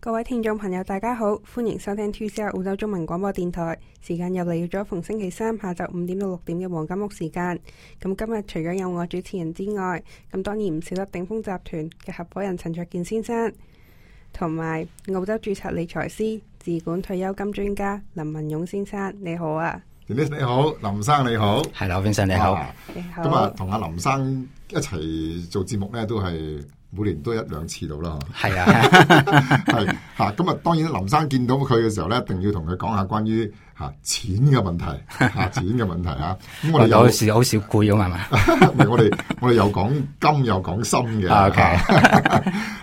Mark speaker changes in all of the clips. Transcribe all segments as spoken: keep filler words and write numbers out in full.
Speaker 1: 各位聽眾朋友大家好，歡迎收聽 two C R 澳洲中文廣播電台，時間又嚟咗逢星期三下晝五點到六點嘅黃金屋時間。咁今日除咗有我主持人之外，咁當然唔少得鼎豐集團嘅合夥人陳焯楗先生，同埋澳洲註冊理財師、自管退休金專家林文勇先生。你好啊。
Speaker 2: 你好，林生你好，
Speaker 3: 係啦，先生你好。
Speaker 1: 你好。
Speaker 2: 咁啊，同阿林生一齊做節目咧，都係每年都一兩次到啦。
Speaker 3: 係啊，
Speaker 2: 係吓。咁啊，當然林生見到佢嘅時候咧，一定要同佢講下關於吓錢嘅問題，吓錢嘅問題啊。咁我哋有
Speaker 3: 時好少攰啊嘛，
Speaker 2: 唔係我哋我哋又講金又講心嘅。
Speaker 3: OK。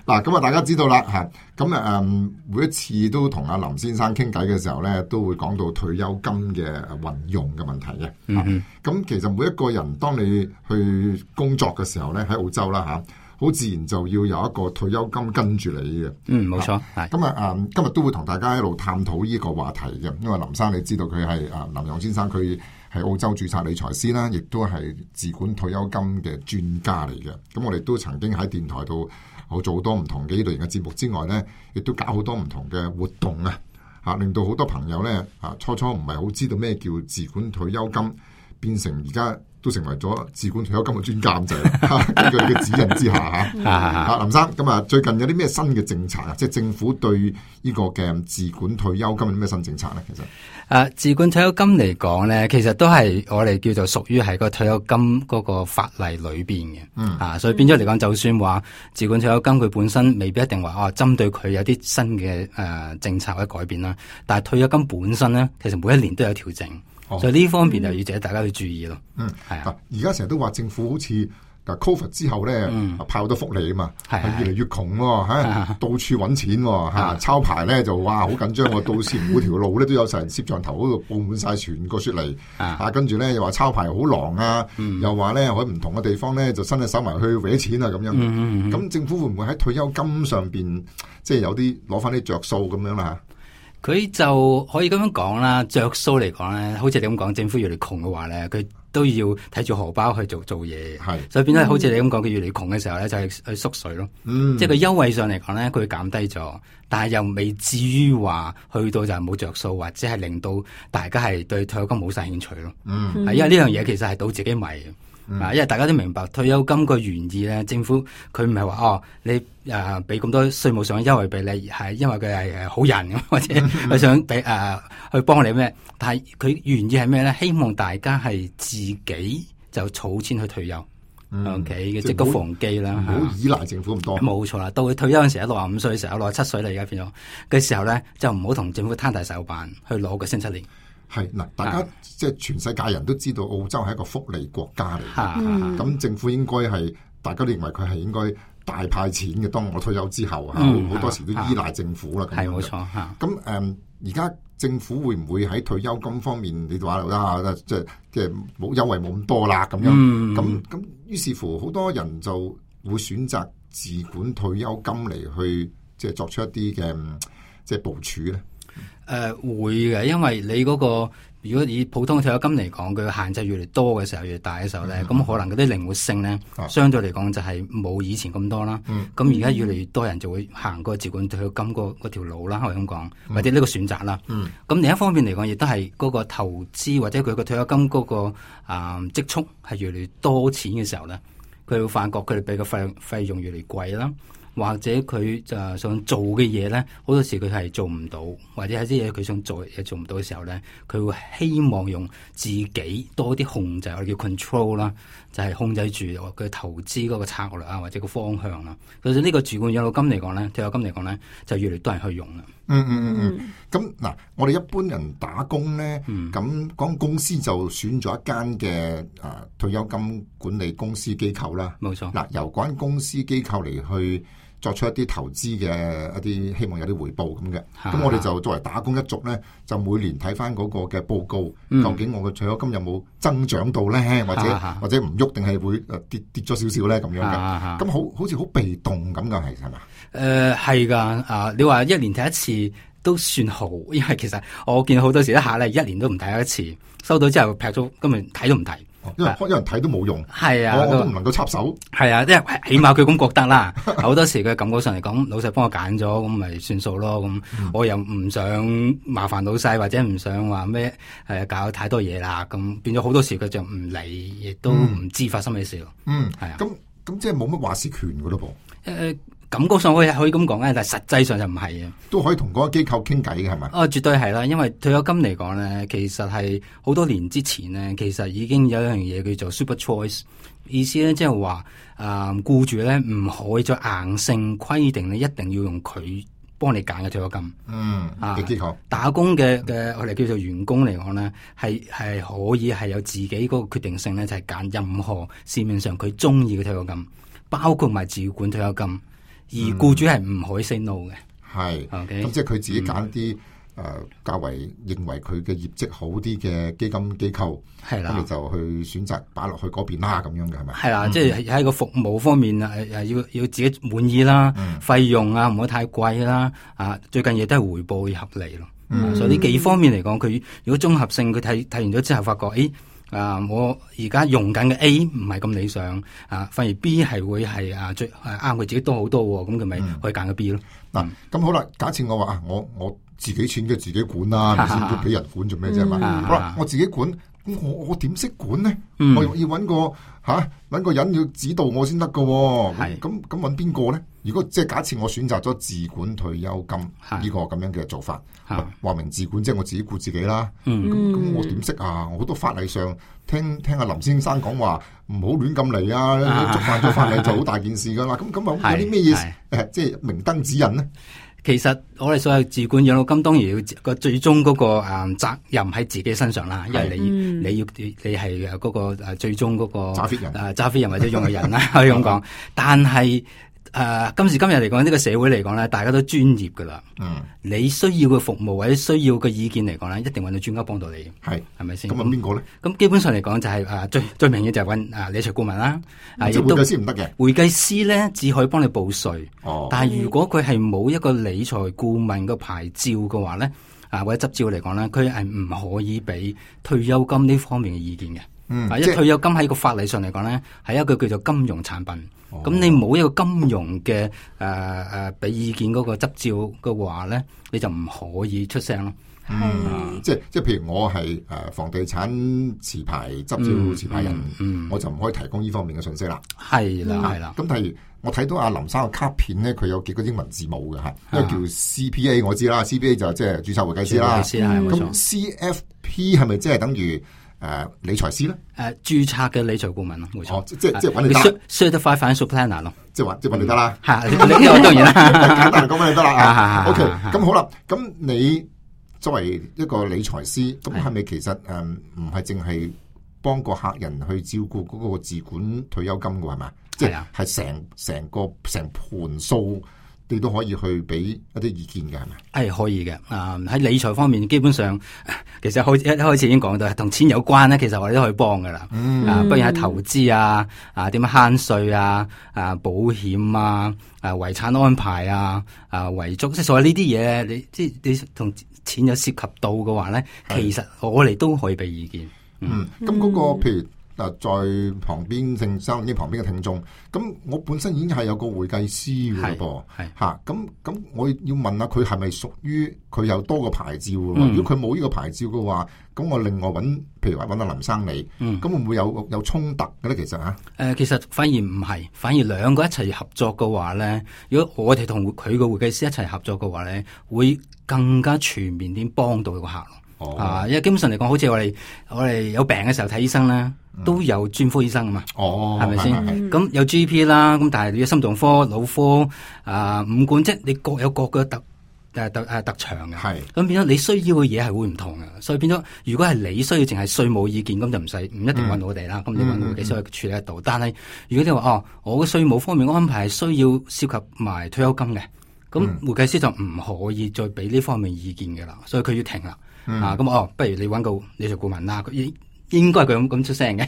Speaker 2: 嗱，咁啊，大家知道啦吓。咁啊，誒，每一次都同阿林先生傾偈嘅時候咧，都會講到退休金嘅運用嘅問題嘅。嗯。咁其實每一個人，當你去工作嘅時候咧，喺澳洲啦吓，好自然就要有一個退休金跟住你嘅。
Speaker 3: 嗯，冇錯。係。
Speaker 2: 咁啊，誒，今日都會同大家一路探討呢個話題嘅，因為林生你知道佢係誒林勇先生，佢係澳洲註冊理財師啦，亦都係自管退休金嘅專家嚟嘅。咁我哋都曾經喺電台度我做好多唔同嘅呢類型嘅節目之外咧，亦都搞好多唔同嘅活動啊，吓令到好多朋友咧啊初初唔係好知道咩叫自管退休金，變成而家都成為咗自管退休金嘅專家咁滯。根據你嘅指引之下吓，啊林生咁啊，最近有啲咩新嘅政策啊？即係政府對呢個嘅自管退休金有啲咩新政策咧？其實
Speaker 3: 誒、啊，自管退休金嚟講咧，其實都係我哋叫做屬於係個退休金嗰個法例裏邊嘅。嗯啊，所以變咗嚟講，就算話自管退休金佢本身未必一定話哦，針對佢有啲新嘅誒、呃、政策或者改變啦。但係退休金本身咧，其實每一年都有調整。哦、所以呢方面就要值得大家去注意咯。
Speaker 2: 嗯，係啊。而家成日都話政府好似嗱 Covid 之後咧，嗯、派好多福利啊嘛，係越嚟越窮喎，吓到處搵錢喎，吓抄牌咧就哇好緊張喎，到時每條路咧都有成攝像頭嗰度布滿晒全個雪梨，啊跟住咧又話抄牌好狼啊，嗯、又話咧喺唔同嘅地方咧就伸隻手埋去搲錢啊咁樣。咁、嗯嗯、政府會唔會喺退休金上邊即係有啲攞翻啲着數咁樣啦？
Speaker 3: 佢就可以咁樣講啦，着數嚟講咧，好似你咁講，政府越嚟窮嘅話咧，佢都要睇住荷包去做做嘢，係，所以變咗好似你咁講，佢越嚟窮嘅時候咧，就係去縮水咯。嗯，即係佢優惠上嚟講咧，佢減低咗，但係又未至於話去到就係冇着數，或者係令到大家係對退休金冇晒興趣咯。嗯，係因為呢樣嘢其實係倒自己迷嘅。嗯、因為大家都明白退休金個原意咧，政府佢唔係話哦，你誒俾咁多稅務上嘅優惠俾你，係因為佢係誒好人咁，或者佢想俾誒、呃、去幫你咩？但係佢原意係咩咧？希望大家係自己就儲錢去退休。O K 嘅積谷防饑啦，
Speaker 2: 唔好依賴政府咁多。
Speaker 3: 冇錯啦，到佢退休嗰陣時，六十五歲嘅時候，六十七歲啦，而家變咗嘅時候咧，就唔好同政府攤大手板去攞個星七年。
Speaker 2: 係嗱，大家即係全世界人都知道澳洲係一個福利國家嚟嘅，咁、嗯、政府應該係大家都認為佢係應該大派錢嘅。當我退休之後啊，好、嗯、多時都依賴政府啦。
Speaker 3: 係冇錯嚇。
Speaker 2: 咁誒，而家、嗯、政府會唔會喺退休金方面，你話啊，即係即係冇優惠冇咁多啦咁樣？咁咁、嗯，於是乎好多人就會選擇自管退休金嚟去即係作出一啲嘅即係部署咧。
Speaker 3: 誒、呃，會嘅，因為你嗰、那個如果以普通退休金嚟講，佢嘅限制越嚟多嘅時候，越大嘅時候咧，咁、嗯、可能嗰啲靈活性咧，啊、相對嚟講就係冇以前咁多啦。咁而家越嚟越多人就會行個自管退休金嗰嗰條路啦，可以咁講，或者呢個選擇啦。咁、嗯、另一方面嚟講，亦都係嗰個投資或者佢個退休金嗰、那個啊積蓄係越嚟越多錢嘅時候咧，佢會發覺佢哋俾個費費用越嚟越貴啦。或者佢就想做嘅嘢咧，好多時佢係做唔到，或者有啲嘢佢想做嘢做唔到嘅時候咧，佢會希望用自己多啲控制，我哋叫 control 啦，就係控制住佢投資嗰個策略啊，或者個方向啦。其實呢個自管養老金嚟講咧，退休金嚟講咧，就越嚟越多人去用啦。
Speaker 2: 嗯嗯嗯嗯。咁、嗯、嗱、嗯，我哋一般人打工咧，咁講公司就選咗一間嘅誒退休金管理公司機構啦。冇錯。嗱，由嗰間公司機構嚟去作出一啲投資嘅一啲希望有啲回報咁嘅，咁我哋就作為打工一族咧，就每年睇翻嗰個嘅報告，嗯、究竟我嘅退休金有冇增長到咧，或者或者唔喐定係會誒跌跌咗少少咧咁樣嘅，咁好好似好被動咁噶，係係嘛？
Speaker 3: 誒係噶，啊你話一年睇一次都算好，因為其實我見好多時一下咧一年都唔睇一次，收到之後劈咗，根本睇都唔睇。
Speaker 2: 因為因為睇都冇用，
Speaker 3: 係啊，
Speaker 2: 我都唔能夠插手。
Speaker 3: 係啊，即係起碼佢咁覺得啦。好多時佢感覺上嚟講，老細幫我揀咗，咁咪算數咯。咁、嗯、我又唔想麻煩老細，或者唔想話咩誒搞太多嘢啦。咁變咗好多時佢就唔理，亦都唔知發生咩事咯。
Speaker 2: 嗯，
Speaker 3: 係啊。
Speaker 2: 咁咁即係冇乜話事權噶咯噃。
Speaker 3: 誒、呃。感覺上可以可以咁講咧，但係實際上就唔係嘅。
Speaker 2: 都可以同嗰個機構傾偈嘅係咪？
Speaker 3: 哦，絕對係啦，因為退休金嚟講咧，其實係好多年之前咧，其實已經有一樣嘢叫做 super choice， 意思咧即係話誒僱主咧唔可以再硬性規定你一定要用佢幫你揀嘅退休金。
Speaker 2: 嗯，嘅機構、啊、
Speaker 3: 打工嘅嘅我哋叫做員工嚟講咧，係係可以係有自己嗰個決定性咧，就係、是、揀任何市面上佢中意嘅退休金，包括埋自管退休金。而僱主係唔可以 say no 嘅，
Speaker 2: 係、嗯，咁、okay? 即係佢自己揀啲誒較為認為佢嘅業績好啲嘅基金機構，係啦，咁你就去選擇擺落去嗰邊啦，咁樣嘅係咪？係啦，嗯、即係喺個服務方面啊，誒要要自己滿意啦，嗯、費用啊唔好太貴啦，啊最緊要都係回報要合理咯、嗯啊。所以呢幾方面嚟講，佢如果綜合性佢睇睇完咗之後，發覺誒。啊！我而家用緊嘅 A 唔係咁理想啊，反而 B 係會係啊最啱佢自己多好多喎，咁佢咪可以揀個 B 咯。嗱、嗯，咁、嗯、好啦，假設我話啊，我我自己錢嘅自己管啦，咪先都俾人管做咩啫嘛？好啦，我自己管，咁我我點識管呢？嗯、我要揾個吓揾個人要指導我先得噶。係咁咁揾邊個咧？如果即係假設我選擇咗自管退休金呢個咁樣嘅做法，話明自管即係我自己顧自己啦。咁、嗯、咁我點識啊？好多法例上聽聽阿林先生講話，唔好亂咁嚟啊！觸犯咗法例就好大件事噶啦。咁咁啊有啲咩嘢誒，即係明燈指引呢？
Speaker 3: 其實我哋所有自管養老金當然要個最終嗰個誒責任喺自己身上啦，因為你、嗯、你要你係嗰個誒最終嗰個
Speaker 2: 揸 fit 人
Speaker 3: 誒揸 fit 人或者用嘅人啦，可以咁講。但係誒、呃，今時今日嚟講，呢、這個社會嚟講咧，大家都專業噶啦。嗯，你需要嘅服務或者需要嘅意見嚟講咧，一定揾到專家幫到你。係，係咪先？咁問邊個咧？咁基本上嚟講就係、是、誒、呃、最最明顯就係揾誒理財顧問啦。啊，
Speaker 2: 即係會計師唔得嘅。
Speaker 3: 會計師咧只可以幫你報稅。哦。但係如果佢係冇一個理財顧問嘅牌照嘅話咧，啊或者執照嚟講咧，佢係唔可以俾退休金呢方面嘅意見嘅。嗯。啊，因為退休金喺個法例上嚟講咧，係一個叫做金融產品。咁、哦、你冇一個金融嘅誒誒俾意見嗰個執照嘅話咧，你就唔可以出聲咯。
Speaker 2: 嗯，嗯即係即係譬如我係誒、呃、房地產持牌執照持牌人，嗯嗯、我就唔可以提供呢方面嘅信息啦。係啦，係啦。咁譬如我睇到阿林生嘅卡片咧，佢有幾個英文字母嘅嚇，一個叫 C P A 我知啦 ，C P A 就即係註冊會計師啦。咁 C F P 係咪即係等於？誒、呃，理財師咧？誒、
Speaker 3: 呃，註冊嘅理財顧問咯，冇錯。
Speaker 2: 即係即係揾你得。
Speaker 3: Certified Financial Planner 咯，
Speaker 2: 即係話即係揾你得啦。
Speaker 3: 係、嗯，呢個當然啦。
Speaker 2: 簡單嚟講，揾你得啦。O K，咁好啦。咁你作為一個理財師，咁係咪其實誒唔係淨係幫個客人去照顧嗰個自管退休金嘅係嘛？即係係成成個成盤數。你都可以去俾一啲意見嘅係咪？
Speaker 3: 係可以嘅。啊、呃，喺理財方面，基本上其實開一開始已經講到，同錢有關咧，其實我哋都可以幫噶啦。嗯，啊，不如喺投資啊，啊，點樣慳稅啊，啊，保險啊，啊，遺產安排啊，啊，遺囑，即係所有呢啲嘢，你即係你同錢有涉及到嘅話咧，其實我哋都可以俾意見。
Speaker 2: 嗯，咁嗰、嗯那個譬如。嗱，在旁邊聽收呢旁邊嘅聽眾，咁我本身已經係有個會計師嘅噃，嚇，咁咁我要問下佢係咪屬於佢有多個牌照嘅、嗯？如果佢冇呢個牌照嘅話，咁我另外揾，譬如話揾阿林生你，咁、嗯、會唔會有有衝突嘅咧？其實嚇，誒、
Speaker 3: 呃，其實反而唔係，反而兩個一齊合作嘅話咧，如果我哋同佢個會計師一齊合作嘅話咧，會更加全面啲幫到個客咯。哦，啊，因為基本上嚟講，好似我哋我哋有病嘅時候睇醫生咧。都有專科醫生啊嘛，哦，係咪先？咁有 G P 啦，咁但係你有心臟科、腦科啊、呃、五官，即係你各有各嘅特誒特誒特長嘅。係咁變咗你需要嘅嘢係會唔同嘅，所以變咗如果係你需要淨係稅務意見，咁就唔使唔一定揾我哋啦。咁、嗯、你揾我哋先可以處理得到。嗯、但係如果你話哦，我嘅稅務方面安排係需要涉及埋退休金嘅，咁、嗯、會計師就唔可以再俾呢方面意見嘅啦，所以佢要停啦、嗯。啊，咁哦，不如你揾個理財顧問啦，佢應該係佢咁咁出聲嘅，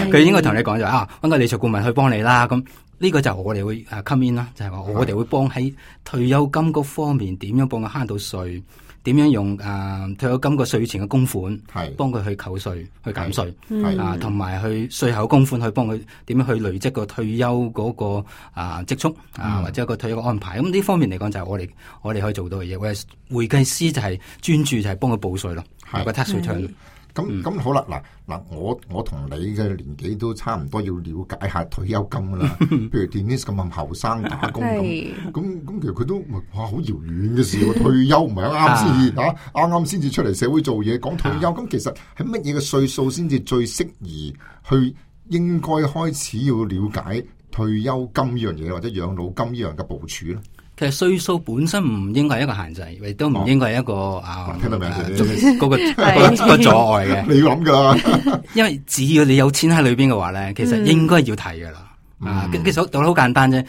Speaker 3: 佢應該同你講就啊，揾個理財顧問去幫你啦。咁呢個就我哋會誒 come in 啦，就係話我哋會幫喺退休金嗰方面點樣幫佢慳到稅，點樣用啊退休金個稅前嘅供款，
Speaker 2: 係
Speaker 3: 幫佢去扣稅、去減稅，
Speaker 2: 係
Speaker 3: 啊，同埋去稅後供款去幫佢點樣去累積個退休嗰個啊積蓄啊，或者一個退休嘅安排。咁呢方面嚟講就係我哋我哋可以做到嘅嘢。我哋會計師就係專注就係幫佢報稅咯，有個 tax return。
Speaker 2: 咁咁、嗯、好啦，嗱嗱，我我同你嘅年紀都差唔多，要了解下退休金噶啦。譬如 Denise 咁咁後生打工咁，咁咁其實佢都哇好遙遠嘅事喎。退休唔係啱啱先至啊，啱啱先至出嚟社會做嘢，講退休咁，其實喺乜嘢嘅歲數先至最適宜去應該開始要了解退休金呢樣嘢，或者養老金呢樣嘅部署咧？
Speaker 3: 其實歲數本身唔應該係一個限制，亦都唔應該係一個、哦、啊，
Speaker 2: 聽到未？嗰、
Speaker 3: 那個、那個、個阻礙嘅。
Speaker 2: 你要諗噶啦，
Speaker 3: 因為只要你有錢喺裏邊嘅話咧，其實應該要提噶啦。嗯、啊，其實道理好簡單啫。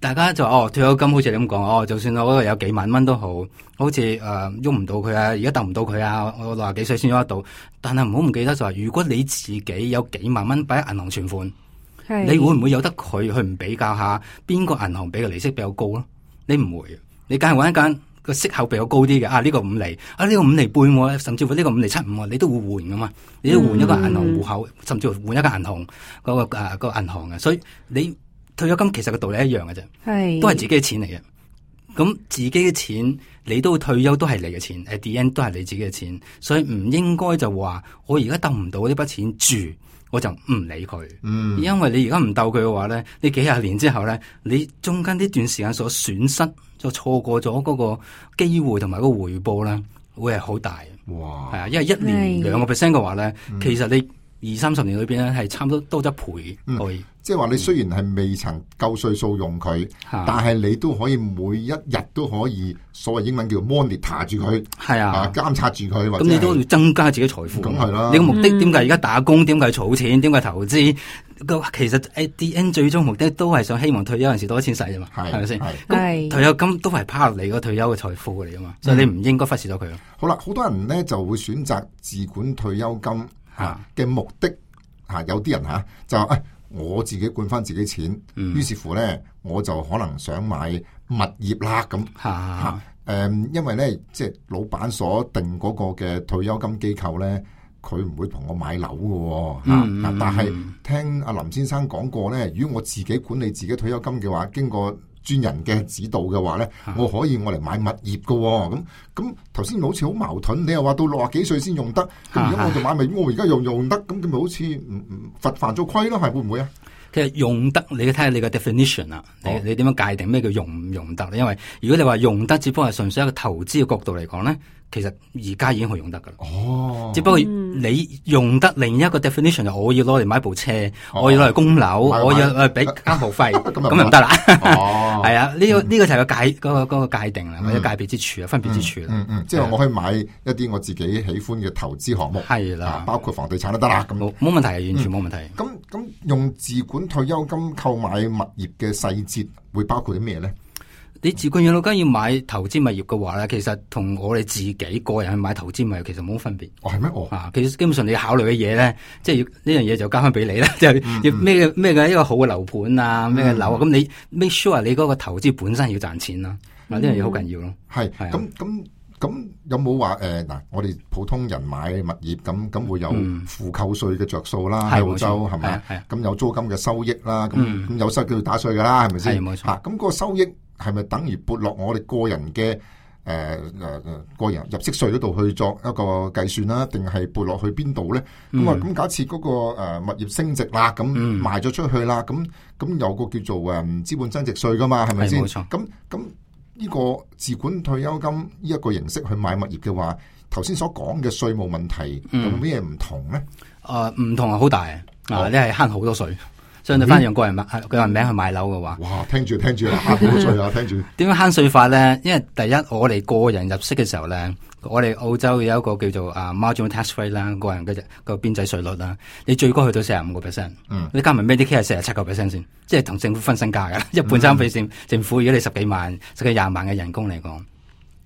Speaker 3: 大家就哦退休金好似你咁講，哦就算我嗰度有幾萬蚊都好，好似誒喐唔到佢啊，而家揼唔到佢啊，我六十幾歲先喐得到。但係唔好唔記得就話，如果你自己有幾萬蚊擺喺銀行存款，你會唔會有得佢去唔比較下邊個銀行俾嘅利息比較高咯？你唔會，你梗係揾一間個息口比較高啲嘅，啊呢、這個五厘，啊呢、這個五厘半，甚至乎呢個五厘七五，你都會換噶嘛？你都換一個銀行戶口，嗯、甚至乎換一個銀行嗰、那個誒、啊那個銀行嘅，所以你退休金其實個道理一樣嘅啫，係都係自己嘅錢嚟嘅。咁自己嘅錢，你都退休都係你嘅錢 ，at the end 都係你自己嘅錢，所以唔應該就話我而家得唔到呢筆錢住。我就唔理佢，嗯，因為你而家唔鬥佢嘅話咧，你幾廿年之後咧，你中間呢段時間所損失，就錯過咗嗰個機會同埋個回報咧，會係好大。哇！係啊，因為一年兩個 percent 嘅話咧，其實你二三十年裏邊咧係差唔多多一倍可以。嗯即係話你雖然係未曾夠歲數用佢，嗯、但係你都可以每一日都可以所謂英文叫 monitor 住佢，係啊，監察住佢。咁你都要增加自己財富。咁係啦。你個目的點解而家打工？點解儲錢？點解投資？其實 at the end 最終目的都係想希望退休嗰陣時多啲錢使啫嘛，係咪先？咁退休金都係 part 你個退休嘅財富嚟噶嘛，所以你唔應該忽視咗佢咯。好啦，好多人咧就會選擇自管退休金吓嘅目的吓、啊，有啲人吓、啊、就誒。哎我自己管翻自己錢，嗯、於是乎咧，我就可能想買物業啦咁嚇誒，因為咧，即係老闆所定嗰個嘅退休金機構咧，佢唔會同我買樓嘅嚇。嗯啊、但係聽阿林先生講過咧，如果我自己管理自己退休金嘅話，經過專人嘅指導嘅話咧，我可以我嚟買物業嘅。咁咁頭先好似好矛盾，你又話到六十幾歲先用得，咁而家我就買物業，我而家又用得，咁咁咪好似唔唔罰犯咗規咯？係會唔會啊？其實用得，你睇下你個 definition 啊，你你點樣界定咩叫用唔用得？因為如果你話用得，只不過係純粹一個投資嘅角度嚟講咧，其實而家已經好用得噶啦。哦，只不過你用得另一個 definition 就我要攞嚟買部車，哦、我要攞嚟供樓，我要誒俾交學費，咁就唔得啦。哦，係啊，呢、這個呢、這個就係個界嗰、那個、那個界定啦，或者界別之處啊，分別之處啦。嗯嗯，即係我可以買一啲我自己喜歡嘅投資項目，係啦、啊，包括房地產都得啦。咁冇冇問題，完全冇問題。咁咁、嗯、用自管退休金購買物業嘅細節會包括啲咩咧？你自管養老金要買投資物業嘅話咧，其實同我哋自己個人去買投資物業其實冇乜分別。哦，係咩？哦，啊，其實基本上你考慮嘅嘢咧，即係要呢樣嘢就交翻俾你啦。即係要咩嘅咩嘅一個好嘅樓盤啊，咩嘅樓啊，咁、嗯、你 make sure 你嗰個投資本身要賺錢啦。嗱、嗯，呢樣嘢好緊要咯。係，咁咁咁有冇話誒嗱？我哋普通人買物業咁咁會有負扣稅嘅着數啦，喺澳洲係咪？係咁有租金嘅收益啦，咁咁、嗯、有收益都要打稅噶啦，係咪先？係冇錯。嚇，咁嗰個收益係咪等於撥落我哋個人嘅誒誒誒個人入息稅嗰度去作一個計算啦？定係撥落去邊度咧？咁啊咁假設嗰個誒物業升值啦，咁賣咗出去啦，咁咁有個叫做誒資本增值稅噶嘛？係咪先？冇錯。咁咁。呢個自管退休金呢一個形式去買物業嘅話，頭先所講嘅稅務問題有冇咩唔同咧？誒、嗯，唔、呃、同係好大啊！你係慳好多稅，相對翻用個人名個人名去買樓嘅話，哇！聽住聽住慳好多稅啊！聽住點樣慳稅法咧？因為第一，我哋個人入息嘅時候咧，我哋澳洲有一個叫做啊 marginal tax rate 啦，個人嘅個邊際稅率啦，你最高去到四十五個 percent，嗯，你加埋 Medicare 係四十七個 percent 先，即係同政府分身家噶，一半三俾政政府。如果你十幾萬、十幾廿萬嘅人工嚟講，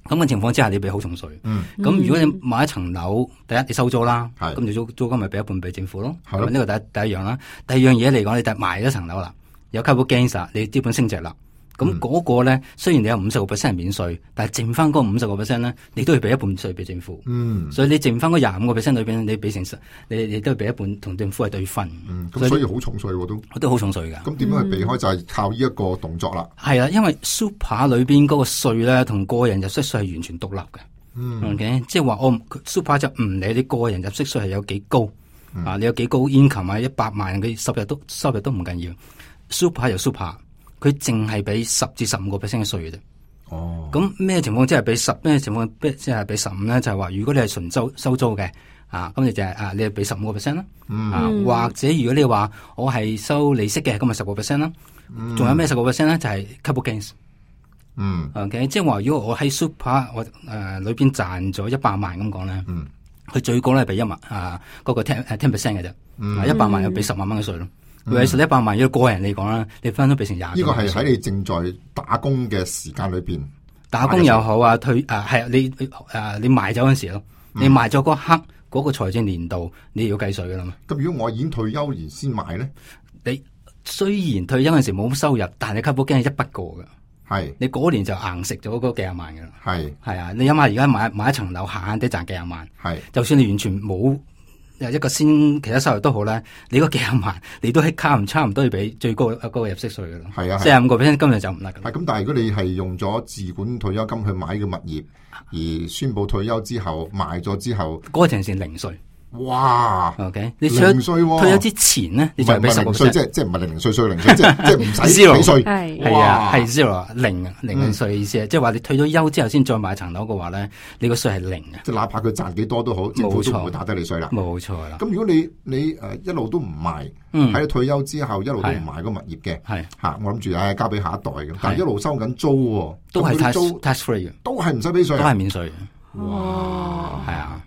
Speaker 3: 咁嘅情況之下，你俾好重稅。嗯，咁如果你買一層樓，第一你收租啦，咁你租租金咪俾一半俾政府咯。係呢個第一第一樣啦。第二樣嘢嚟講，你就賣咗層樓啦，有 capital gains 啦，你資本升值啦。咁嗰個咧，雖然你有五十個 percent 係免稅，但係剩翻嗰五十個 percent 咧，你都要俾一半稅俾政府。嗯，所以你剩翻嗰廿五個 percent 裏邊，你俾成十，你你都要俾一半同政府係對分。
Speaker 2: 嗯，咁所以好重稅喎都。
Speaker 3: 都好重稅㗎。咁
Speaker 2: 點樣去避開就係靠呢一個動作啦。係
Speaker 3: 啊，因為 super 裏邊嗰個稅咧，同個人入息稅係完全獨立嘅。嗯 ，OK， 即係話我 super 就唔理你個人入息稅係有幾高。嗯、啊！你有幾高 income 啊？一百萬嘅收入都收入都唔緊要。super 就 super，佢淨係俾十至十五個 percent 嘅稅嘅啫。哦。咁咩情況即係俾十？咩情況即係俾十五咧？就係話如果你係純收收租嘅，啊，咁你就係、是、啊，你係俾十五個 percent 啦。嗯。啊，或者如果你話我係收利息嘅，咁咪十個 percent 啦。嗯。仲有咩十個 percent 咧？就係、是、capital gains。嗯。OK， 即係話如果我喺 super 我誒、呃、裏邊賺咗一百萬咁講咧。嗯。佢最高咧俾一萬啊，嗰、那個 ten 誒 ten percent 嘅啫，一百、嗯、萬又俾十萬蚊嘅稅咯。如果一百萬，如果個人嚟講啦，你分都俾成廿。呢個
Speaker 2: 係喺你正在打工嘅時間裏邊，
Speaker 3: 打工又好啊，退啊係你誒你賣走嗰陣時咯，你賣咗嗰刻嗰、那個財政年度你要計稅噶啦嘛。
Speaker 2: 咁如果我已經退休而先賣咧，
Speaker 3: 你雖然退休嗰陣時冇乜收入，但係你 capital gain 係一筆過噶。係，你嗰年就硬食咗嗰幾廿萬噶啦。係，係啊，你諗下而家買買一層樓，閒閒地賺幾廿萬。係，就算你完全冇一個先其他收入都好咧，你嗰幾廿萬，你都係差唔差唔多要俾最高嗰個入息稅噶啦。係啊，四十五個 percent 今日就唔得噶啦。
Speaker 2: 係咁，但係如果你係用咗自管退休金去買嘅物業，而宣布退休之後賣咗之後，
Speaker 3: 嗰個情形零稅。
Speaker 2: 哇
Speaker 3: ！OK， 你退休退休之前咧，你就俾十個 percent，
Speaker 2: 即係即係唔係零零碎碎零稅，即係即係唔使俾稅。
Speaker 3: 係係啊，係 zero 零零嘅稅嘅意思啊，即係話你退咗休之後先再買層樓嘅話咧，你個稅係零嘅。
Speaker 2: 即係哪怕佢賺幾多都好，政府都唔會打低你稅啦。
Speaker 3: 冇錯啦。
Speaker 2: 咁如果你你誒一路都唔賣，喺你退休之後一路都唔賣個物業嘅，係嚇我諗住誒交俾下一代嘅，但係一路收緊租，
Speaker 3: 都係 tax tax free 嘅，
Speaker 2: 都係唔使俾稅，
Speaker 3: 都係免稅。
Speaker 2: 哇！
Speaker 3: 係啊。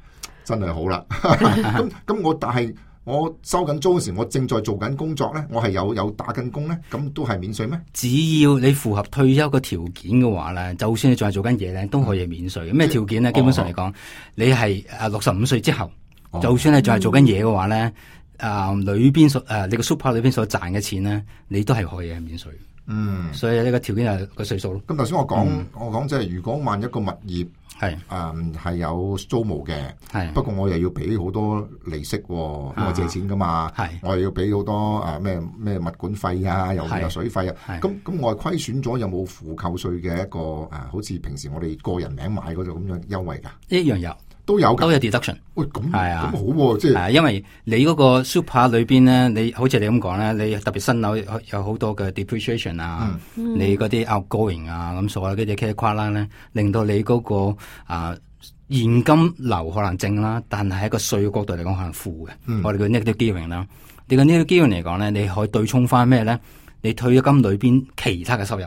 Speaker 2: 真係好啦，咁咁我但係我收緊租嗰時，我正在做緊工作咧，我係有有打緊工咧，咁都係免稅咩？
Speaker 3: 只要你符合退休嘅條件嘅話咧，就算你仲係做緊嘢咧，都可以免稅。咩條件咧？基本上嚟講，哦、你係誒六十五歲之後，哦、就算你仲係做緊嘢嘅話咧，啊裏邊所誒你個 super 裏邊所賺嘅錢咧，你都係可以係免稅。嗯，所以呢個條件就係個歲數咯。
Speaker 2: 咁頭先我講，嗯、我講即係如果萬一個物業係誒係有租務嘅，係不過我又要俾好多利息，因為我借錢噶嘛，係我又要俾好多誒咩咩物管費啊，又有水費啊，咁咁我係虧損咗，有冇付扣稅嘅一個誒，好似平時我哋個人名買嗰種咁樣優惠噶？
Speaker 3: 一樣有。
Speaker 2: 都有
Speaker 3: 都有 deduction，
Speaker 2: 喂咁係啊，咁好喎、啊，即係、啊，
Speaker 3: 因為你嗰個 super 裏邊咧，你好似你咁講咧，你特別新樓有好多嘅 depreciation 啊，嗯、你嗰啲 outgoing 啊，咁所有嗰啲 credit card 咧，令到你嗰、那個啊現金流可能正啦，但係喺個稅嘅角度嚟講可能負嘅，嗯、我哋叫 negative gearing 啦。你個 negative gearing 嚟講咧，你可以對沖翻咩咧？你退咗金裏邊其他嘅收入。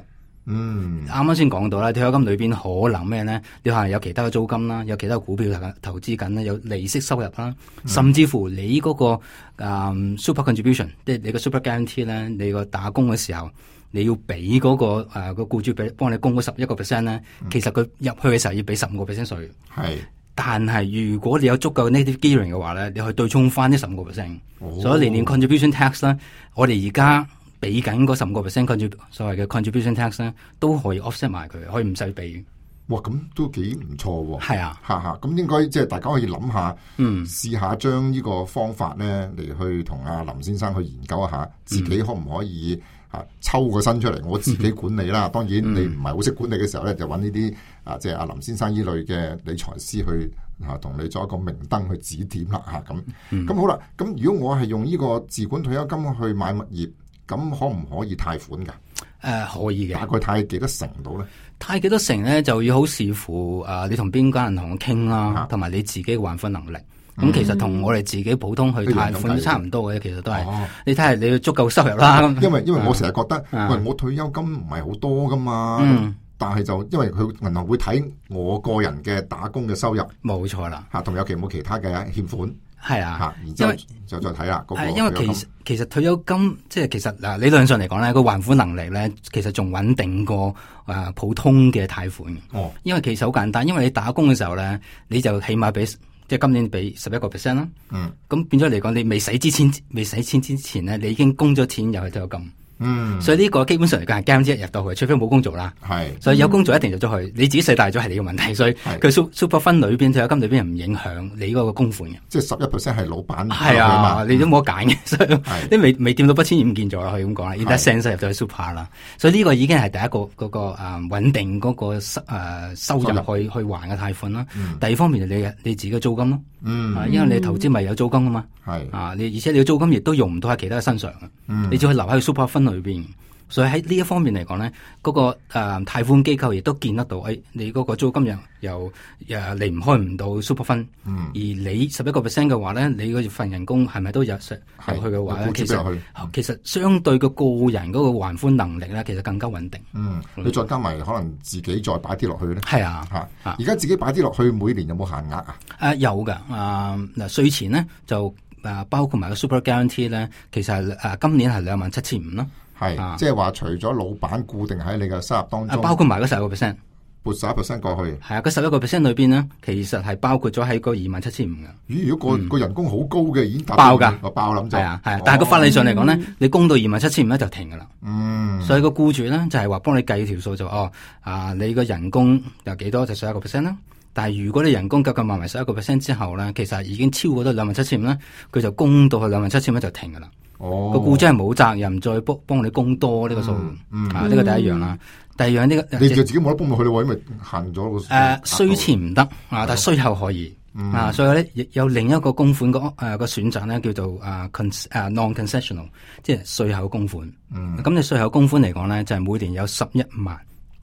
Speaker 3: 嗯，啱啱先講到啦，退休金裏邊可能咩咧？你可能有其他嘅租金啦，有其他嘅股票投資緊啦，有利息收入啦，嗯、甚至乎你嗰、那個誒、嗯、super contribution，即係你個 super guarantee 咧，你個打工嘅時候你要俾嗰、那個誒、呃、個僱主俾幫你供嗰十一個 percent 咧，嗯、其實佢入去嘅時候要俾十五個 percent 稅。係，但係如果你有足夠嘅 native gearing 嘅話咧，你可以對沖翻呢十五個 percent。所以年年 contribution tax 咧，我哋而家俾緊嗰十五個 percent contrib 所謂嘅 contribution tax 咧，都可以 offset 埋佢，可以唔使俾。
Speaker 2: 哇，咁都幾唔錯喎！
Speaker 3: 係啊，
Speaker 2: 嚇嚇，咁應該即係大家可以諗下，嗯，試下將呢個方法咧嚟去同阿林先生去研究一下，自己可唔可以啊抽個身出嚟，我自己管理啦。嗯、當然你唔係好識管理嘅時候咧，就揾呢啲啊，即係阿林先生依類嘅理財師去嚇同你做一個明燈去指點啦嚇咁。咁、嗯、好啦，咁如果我係用呢個自管退休金去買物業，咁可唔可以貸款㗎？誒、
Speaker 3: 呃，可以嘅。大
Speaker 2: 概貸幾多成到咧？
Speaker 3: 貸幾多成咧，就要好視乎啊、呃，你同邊間銀行傾啦，同埋、啊、你自己嘅還款能力。咁、嗯、其實同我哋自己普通去貸款都差唔多嘅，其實都係。哦、你睇下你要足夠收入啦。
Speaker 2: 因為因為我成日覺得，嗯、喂，我退休金唔係好多噶嘛。嗯。但係就因為佢銀行會睇我個人嘅打工嘅收入。冇錯啦。嚇，同有其冇其他嘅欠款。係啊，嚇，然之後就再睇啦。係因為其實其實退休金即係其實嗱理論上嚟講咧，個還款能力咧其實仲穩定過誒普通嘅貸款。哦，因為其實好簡單，因為你打工嘅時候咧，你就起碼俾即係今年俾十一個 percent 啦。嗯，咁變咗嚟講，你未使之前未使錢之前咧，你已經供咗錢入去退休金。
Speaker 3: 嗯，所以呢個基本上嚟講係 guarantee 入到去，除非冇工做啦。
Speaker 2: 係，
Speaker 3: 所以有工做一定入咗去，你自己使大咗係你嘅問題。所以佢 super fund 裏邊退休金裏邊係唔影響你嗰個供款嘅。
Speaker 2: 即係十一 percent 係老闆
Speaker 3: 係啊，你都冇得揀嘅，所以你未未掂到筆錢已唔見咗啦，可以咁講啦。in that sense 入到去 super 啦，所以呢個已經係第一個嗰、那個誒穩、呃、定嗰、那個收誒、呃、收入去去還嘅貸款啦。嗯、第二方面就你你自己嘅租金咯。嗯，啊、因為你投資咪有租金噶嘛。係啊，你而且你嘅租金亦都用唔到喺其他嘅身上嘅。嗯，你只可以留喺 super fund 裏邊。所以喺呢一方面嚟講咧，嗰、那個誒、呃、貸款機構亦都見得到，誒、哎、你嗰個租金又又誒離唔開唔到 super fund，嗯，而你十一個 percent 嘅話咧，你嗰份人工係咪都入入去嘅話咧？其實其實相對個個人嗰個還款能力咧，其實更加穩定。嗯，
Speaker 2: 你再加埋可能自己再擺啲落去咧。
Speaker 3: 係啊，嚇、
Speaker 2: 啊！而家自己擺啲落去，每年有冇限額啊？誒、
Speaker 3: 啊、有㗎，啊嗱稅前咧就誒包括埋個 super guarantee 咧，其實係誒、啊、今年係兩萬七千五咯。
Speaker 2: 係，啊、即係話除咗老闆固定喺你嘅收入當中，
Speaker 3: 啊、包括埋嗰十一個 percent，
Speaker 2: 撥十一 percent 過去。
Speaker 3: 係啊，嗰十一個 percent 裏邊咧，其實係包括咗喺個二萬七千五嘅。
Speaker 2: 咦？如果個個、嗯、人工好高嘅，已經達
Speaker 3: 爆噶，
Speaker 2: 我爆諗就係
Speaker 3: 啊係啊，但係個法例上嚟講咧，你供到二萬七千五咧就停噶啦。
Speaker 2: 嗯，
Speaker 3: 所以個僱主咧就係話幫你計條數就哦啊，你個人工有幾多就十一個 percent 啦。但係如果你人工夠夠埋埋十一個 percent 之後咧，其實已經超過咗兩萬七千五咧，佢就供到去兩萬七千蚊就停噶啦。哦，個僱主係冇責任再幫幫你供多呢個數，嗯嗯、啊呢、這個第一樣啦。第二樣呢、這個
Speaker 2: 你就自己冇得幫落去咯，因為限咗個
Speaker 3: 誒稅前唔得啊，但係稅後可以、嗯、啊，所以咧亦有另一個供款個誒個選擇咧叫做啊 con 誒 non-concessional， 即係稅後供款。咁、嗯、你稅後供款嚟講咧就係、是、每年有十一萬，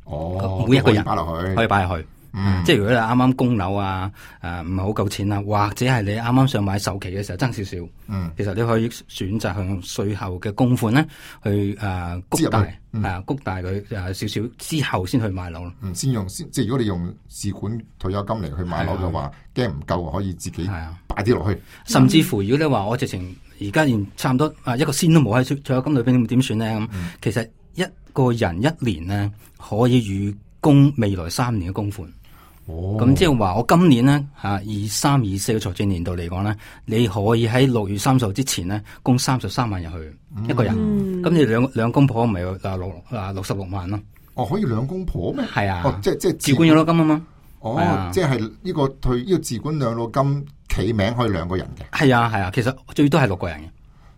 Speaker 2: 哦，
Speaker 3: 每一個人
Speaker 2: 擺落去，
Speaker 3: 可以擺入去。嗯、即係如果你啱啱供樓啊，誒唔係好夠錢啊，或者係你啱啱想買首期嘅時候爭少少，嗯，其實你可以選擇向稅後嘅供款咧去誒谷、呃、大，係、嗯、啊谷大佢誒少少之後先去買樓咯。
Speaker 2: 嗯，先用先，即係如果你用自管退休金嚟去買樓嘅話，驚唔夠可以自己擺啲落去。
Speaker 3: 甚至乎如果你話我直情而家連差唔多啊一個仙都冇喺退休金裏邊點算咧咁，嗯、其實一個人一年咧可以預供未來三年嘅供款。哦，咁即係話我今年咧吓二三二四嘅財政年度嚟講咧，你可以喺六月三十號之前咧供三十三萬入去、嗯、一個人，咁、嗯、你兩兩公婆咪啊六啊六十六萬咯。
Speaker 2: 哦，可以兩公婆咩？
Speaker 3: 係啊，
Speaker 2: 哦，即係即係
Speaker 3: 自管養老金啊嘛。
Speaker 2: 哦，啊、即係呢個退呢、這個自管養老金企名可以兩個人嘅。
Speaker 3: 係啊係啊，其實最多係六個人嘅。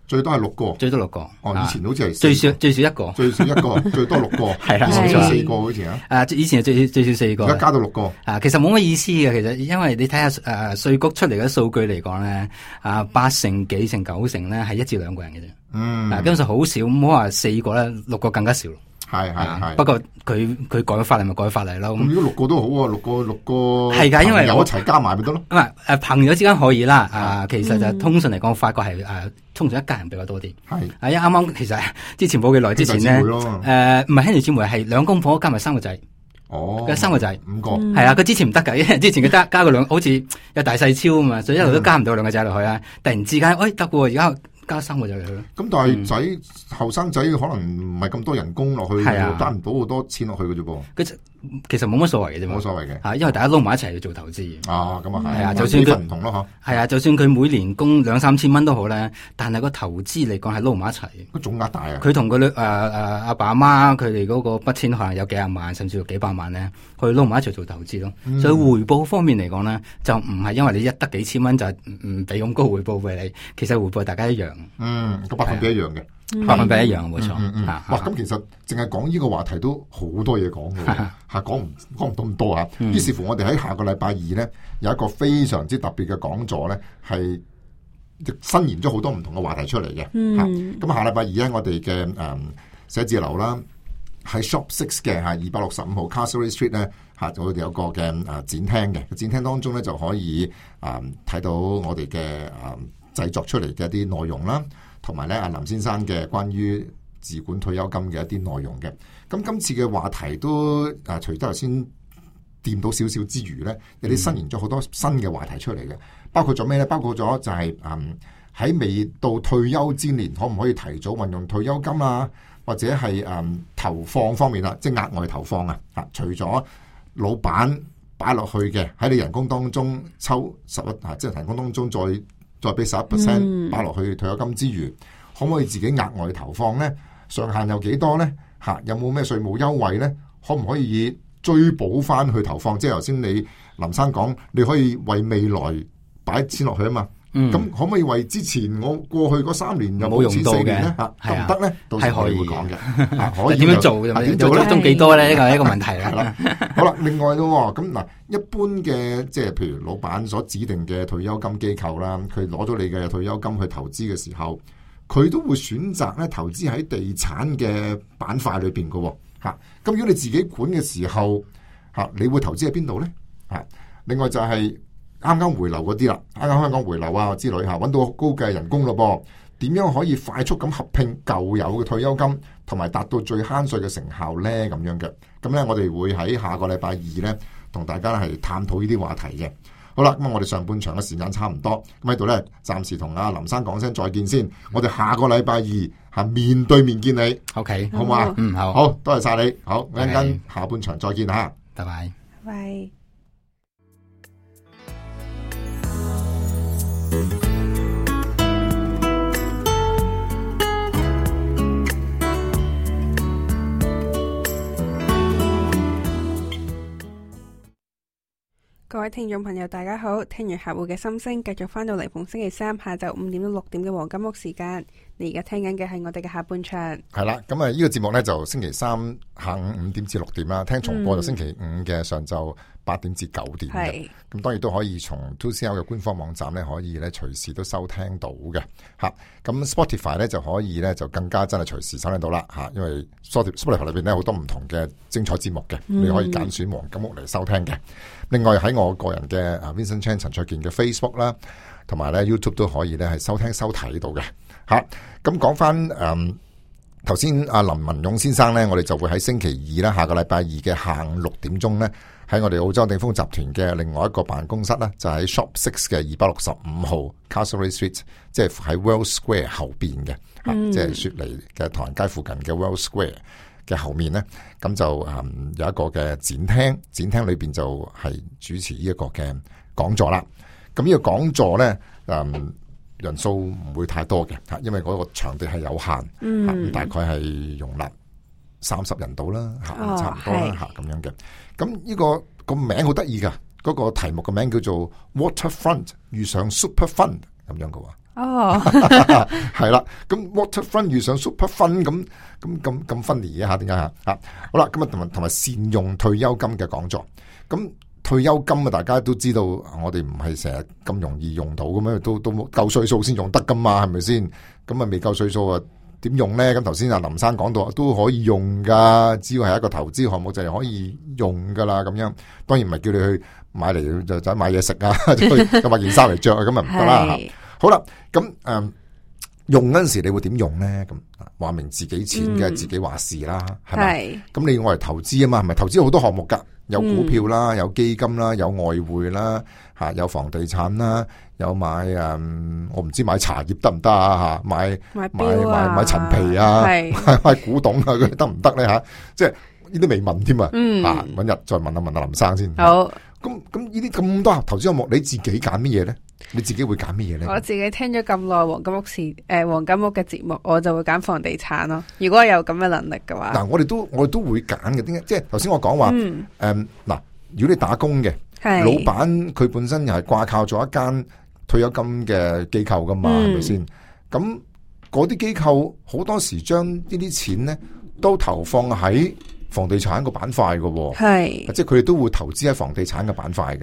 Speaker 2: 最多係六個，
Speaker 3: 最多六個。
Speaker 2: 哦，以前好似係
Speaker 3: 最少最少一個，
Speaker 2: 最少一個，最多六個。
Speaker 3: 係啊，
Speaker 2: 以前四個好似啊。
Speaker 3: 誒，以前係最最少四個，
Speaker 2: 而家加到六個。
Speaker 3: 啊，其實冇乜意思嘅，其實因為你睇下誒稅局出嚟嘅數據嚟講咧，啊八成幾成九成咧係一至兩個人嘅啫。嗯。嗱，基本上好少，唔好話四個咧，六個更加少。係係係，不過佢佢改法例咪改法例咯。咁
Speaker 2: 如果六個都好啊，六個六個
Speaker 3: 係噶，因為
Speaker 2: 有一齊加埋咪得咯。
Speaker 3: 唔係誒，朋友之間可以啦。啊，其實就通常嚟講，發覺係誒，通常一家人比較多啲。係啊，因為啱啱其實之前冇幾耐之前咧，誒唔係兄弟姊妹，係兩公婆加埋三個仔。哦，佢三個仔，
Speaker 2: 五個
Speaker 3: 係啊。佢之前唔得噶，因為之前佢加加個兩，好似有大細超啊嘛，所以一路都加唔到兩個仔落去啊。突然之間，誒得喎，而家。加三個仔嚟去咯，
Speaker 2: 咁但係仔後生仔可能唔係咁多人工落去，賺唔到好多錢落去嘅啫噃。
Speaker 3: 其實冇乜所謂嘅啫，
Speaker 2: 冇所謂嘅，
Speaker 3: 嚇，因為大家撈埋一齊去做投資。
Speaker 2: 啊，咁啊係，
Speaker 3: 係啊，就算佢
Speaker 2: 唔同咯，嗬。
Speaker 3: 係啊，就算佢每年供兩三千蚊都好咧，但係個投資嚟講係撈埋一齊。
Speaker 2: 個總額大啊！
Speaker 3: 佢同佢誒誒阿爸阿媽佢哋嗰個筆錢可能有幾廿萬，甚至乎幾百萬咧，去撈埋一齊做投資咯。嗯、所以回報方面嚟講咧，就唔係因為你一得幾千蚊就唔俾咁高回報俾你，其實回報大家一樣。嗯，
Speaker 2: 個百分比一樣嘅。
Speaker 3: 百分比一樣冇錯，
Speaker 2: 嗯嗯嗯、哇！咁其實淨係講呢個話題都好多嘢講嘅，吓講唔講唔到咁多吓。於、嗯、是乎，我哋喺下個禮拜二咧有一個非常之特別嘅講座咧，係伸延咗好多唔同嘅話題出嚟嘅。吓、嗯，咁下禮拜二咧，我哋嘅誒寫字樓啦，喺 Shop Six 嘅吓二百六十五號 Castlereagh Street 咧吓，我哋有個嘅誒展廳嘅展廳當中咧就可以誒睇到我哋嘅誒製作出嚟嘅一啲內容啦。同埋咧，阿林先生嘅關於自管退休金嘅一啲內容嘅，咁今次嘅話題都啊，除咗頭先掂到少少之餘咧，有啲伸延咗好多新嘅話題出嚟嘅，包括咗咩咧？包括咗就係、是、嗯喺未到退休之年，可唔可以提早運用退休金啊？或者係嗯投放方面啦，即係額外投放啊！啊，除咗老闆擺落去嘅喺你人工當中抽十一啊，即係人工當中再。再俾十一 percent 擺落去退休金之餘，可唔可以自己額外投放咧？上限有幾多咧？嚇，有冇咩稅務優惠咧？可唔可以追補翻去投放？即係頭先你林生講，你可以為未來擺錢落去啊嘛。咁、嗯、可唔可以為之前我過去嗰三年有冇用到嘅咧？嚇，得唔得咧？到時我哋會講嘅。可以點樣做？點做咧？中幾多咧？呢個係一個問題啦。好啦，另外咯，咁嗱，一般嘅即係譬如老闆所指定嘅退休金機構啦，佢攞咗你嘅退休金去投資嘅時候，佢都會選擇咧投資喺地產嘅板塊裏邊嘅。嚇，咁如果你自己管嘅時候，嚇，你會投資喺邊度咧？嚇，另外就係、是。啱啱回流嗰啲啦，啱啱香港回流啊之類吓，揾到高嘅人工咯噃，點樣可以快速咁合併舊有嘅退休金，同埋達到最慳稅嘅成效咧？咁樣嘅，咁咧我哋會喺下個禮拜二咧，同大家係探討呢啲話題嘅。好啦，咁我哋上半場嘅時間差唔多，咁喺度咧，暫時同阿林生講聲再見先。我哋下個禮拜二係面對面見你。OK， 好唔好啊？嗯，好，好，多謝晒你。好，一陣間下半場再見吓，拜拜，
Speaker 1: 拜拜。各位聽眾朋友大家好，聽完客戶嘅心聲，繼續翻到嚟逢星期三下晝五點到六點嘅黃金屋時間。你而家聽緊嘅係我哋嘅下半場。
Speaker 2: 係啦，咁啊呢個節目呢，就星期三下午五點至六點啦，聽重播就星期五嘅上晝八點至九點嘅。咁、嗯、當然都可以從 two C L 嘅官方網站呢，可以咧隨時都收聽到嘅。吓，咁 Spotify 呢，就可以呢，就更加真係隨時收聽到啦。吓，因為 Spotify 裏邊呢，好多唔同嘅精彩節目嘅、嗯，你可以揀選黃金屋嚟收聽嘅。另外喺我個人嘅 Vincent Chan 陳焯楗嘅 Facebook 啦，同埋咧 YouTube 都可以咧係收聽收睇到嘅。吓，咁講翻誒，頭先阿林文勇先生咧，我哋就會喺星期二啦，下個禮拜二嘅下午六點鐘咧，喺我哋澳洲鼎豐集團嘅另外一個辦公室啦，就喺 Shop Six 嘅二百六十五號 Castlereagh Street， 即係喺 World Square 後邊嘅，吓、嗯，即係雪梨嘅唐人街附近嘅 World Square 嘅後面咧，咁就誒、嗯、有一個嘅展廳，展廳裏邊就係主持呢一個嘅講座啦。咁呢個講座咧，誒、嗯、人數唔會太多嘅吓，因為嗰個場地係有限，嗯，大概係容納三十人度啦，吓、哦，差唔多啦，吓咁樣嘅。咁呢個個名好得意噶，嗰、嗰個題目嘅名叫做 Waterfront 遇上 Super Fund 咁樣嘅。哦，係啦，咁 Waterfront 遇上 Super Fund 咁咁咁咁 funny 嘅吓，點解吓？吓，好啦，今日同埋同埋善用退休金嘅講座。咁退休金啊，大家都知道，我哋唔係成日咁容易用到咁樣，都都夠歲數先用得噶嘛，係咪先？咁啊未夠歲數啊，點用咧？咁頭先阿林生講到都可以用噶，只要係一個投資項目就係可以用噶啦。咁樣當然唔係叫你去買嚟就就買嘢食啊，去買件衫嚟着啊，咁啊唔得啦。好啦，咁誒、嗯、用嗰陣時你會點用咧？咁話明自己錢嘅、嗯、自己話事啦，係咪？咁你要我嚟投資啊嘛，係咪？投資好多項目噶，有股票啦，有基金啦，有外匯啦，吓有房地產啦，有買誒、嗯，我唔知買茶葉得唔得啊？吓買買買買買陳皮啊，買買古董啊，佢得唔得咧？吓，即係呢啲未問添啊，嗯，啊，搵日再問一問阿林生先。好，咁咁呢啲咁多投資項目，你自己揀乜嘢咧？你自己會揀乜嘢咧？我自己聽咗咁耐黃金屋時誒、呃、黃金屋嘅節目，我就會揀房地產咯。如果有咁嘅能力嘅話，嗱，我哋都我哋都會揀嘅。點解？即係頭先我講話誒，嗱、嗯呃，如果你打工嘅老闆，佢本身又係掛靠咗一間退休金嘅機構噶嘛，係咪先？咁嗰啲機構好多時將呢啲錢咧都投放喺房地產個板塊嘅，係即係佢哋都會投資喺房地產嘅板塊嘅。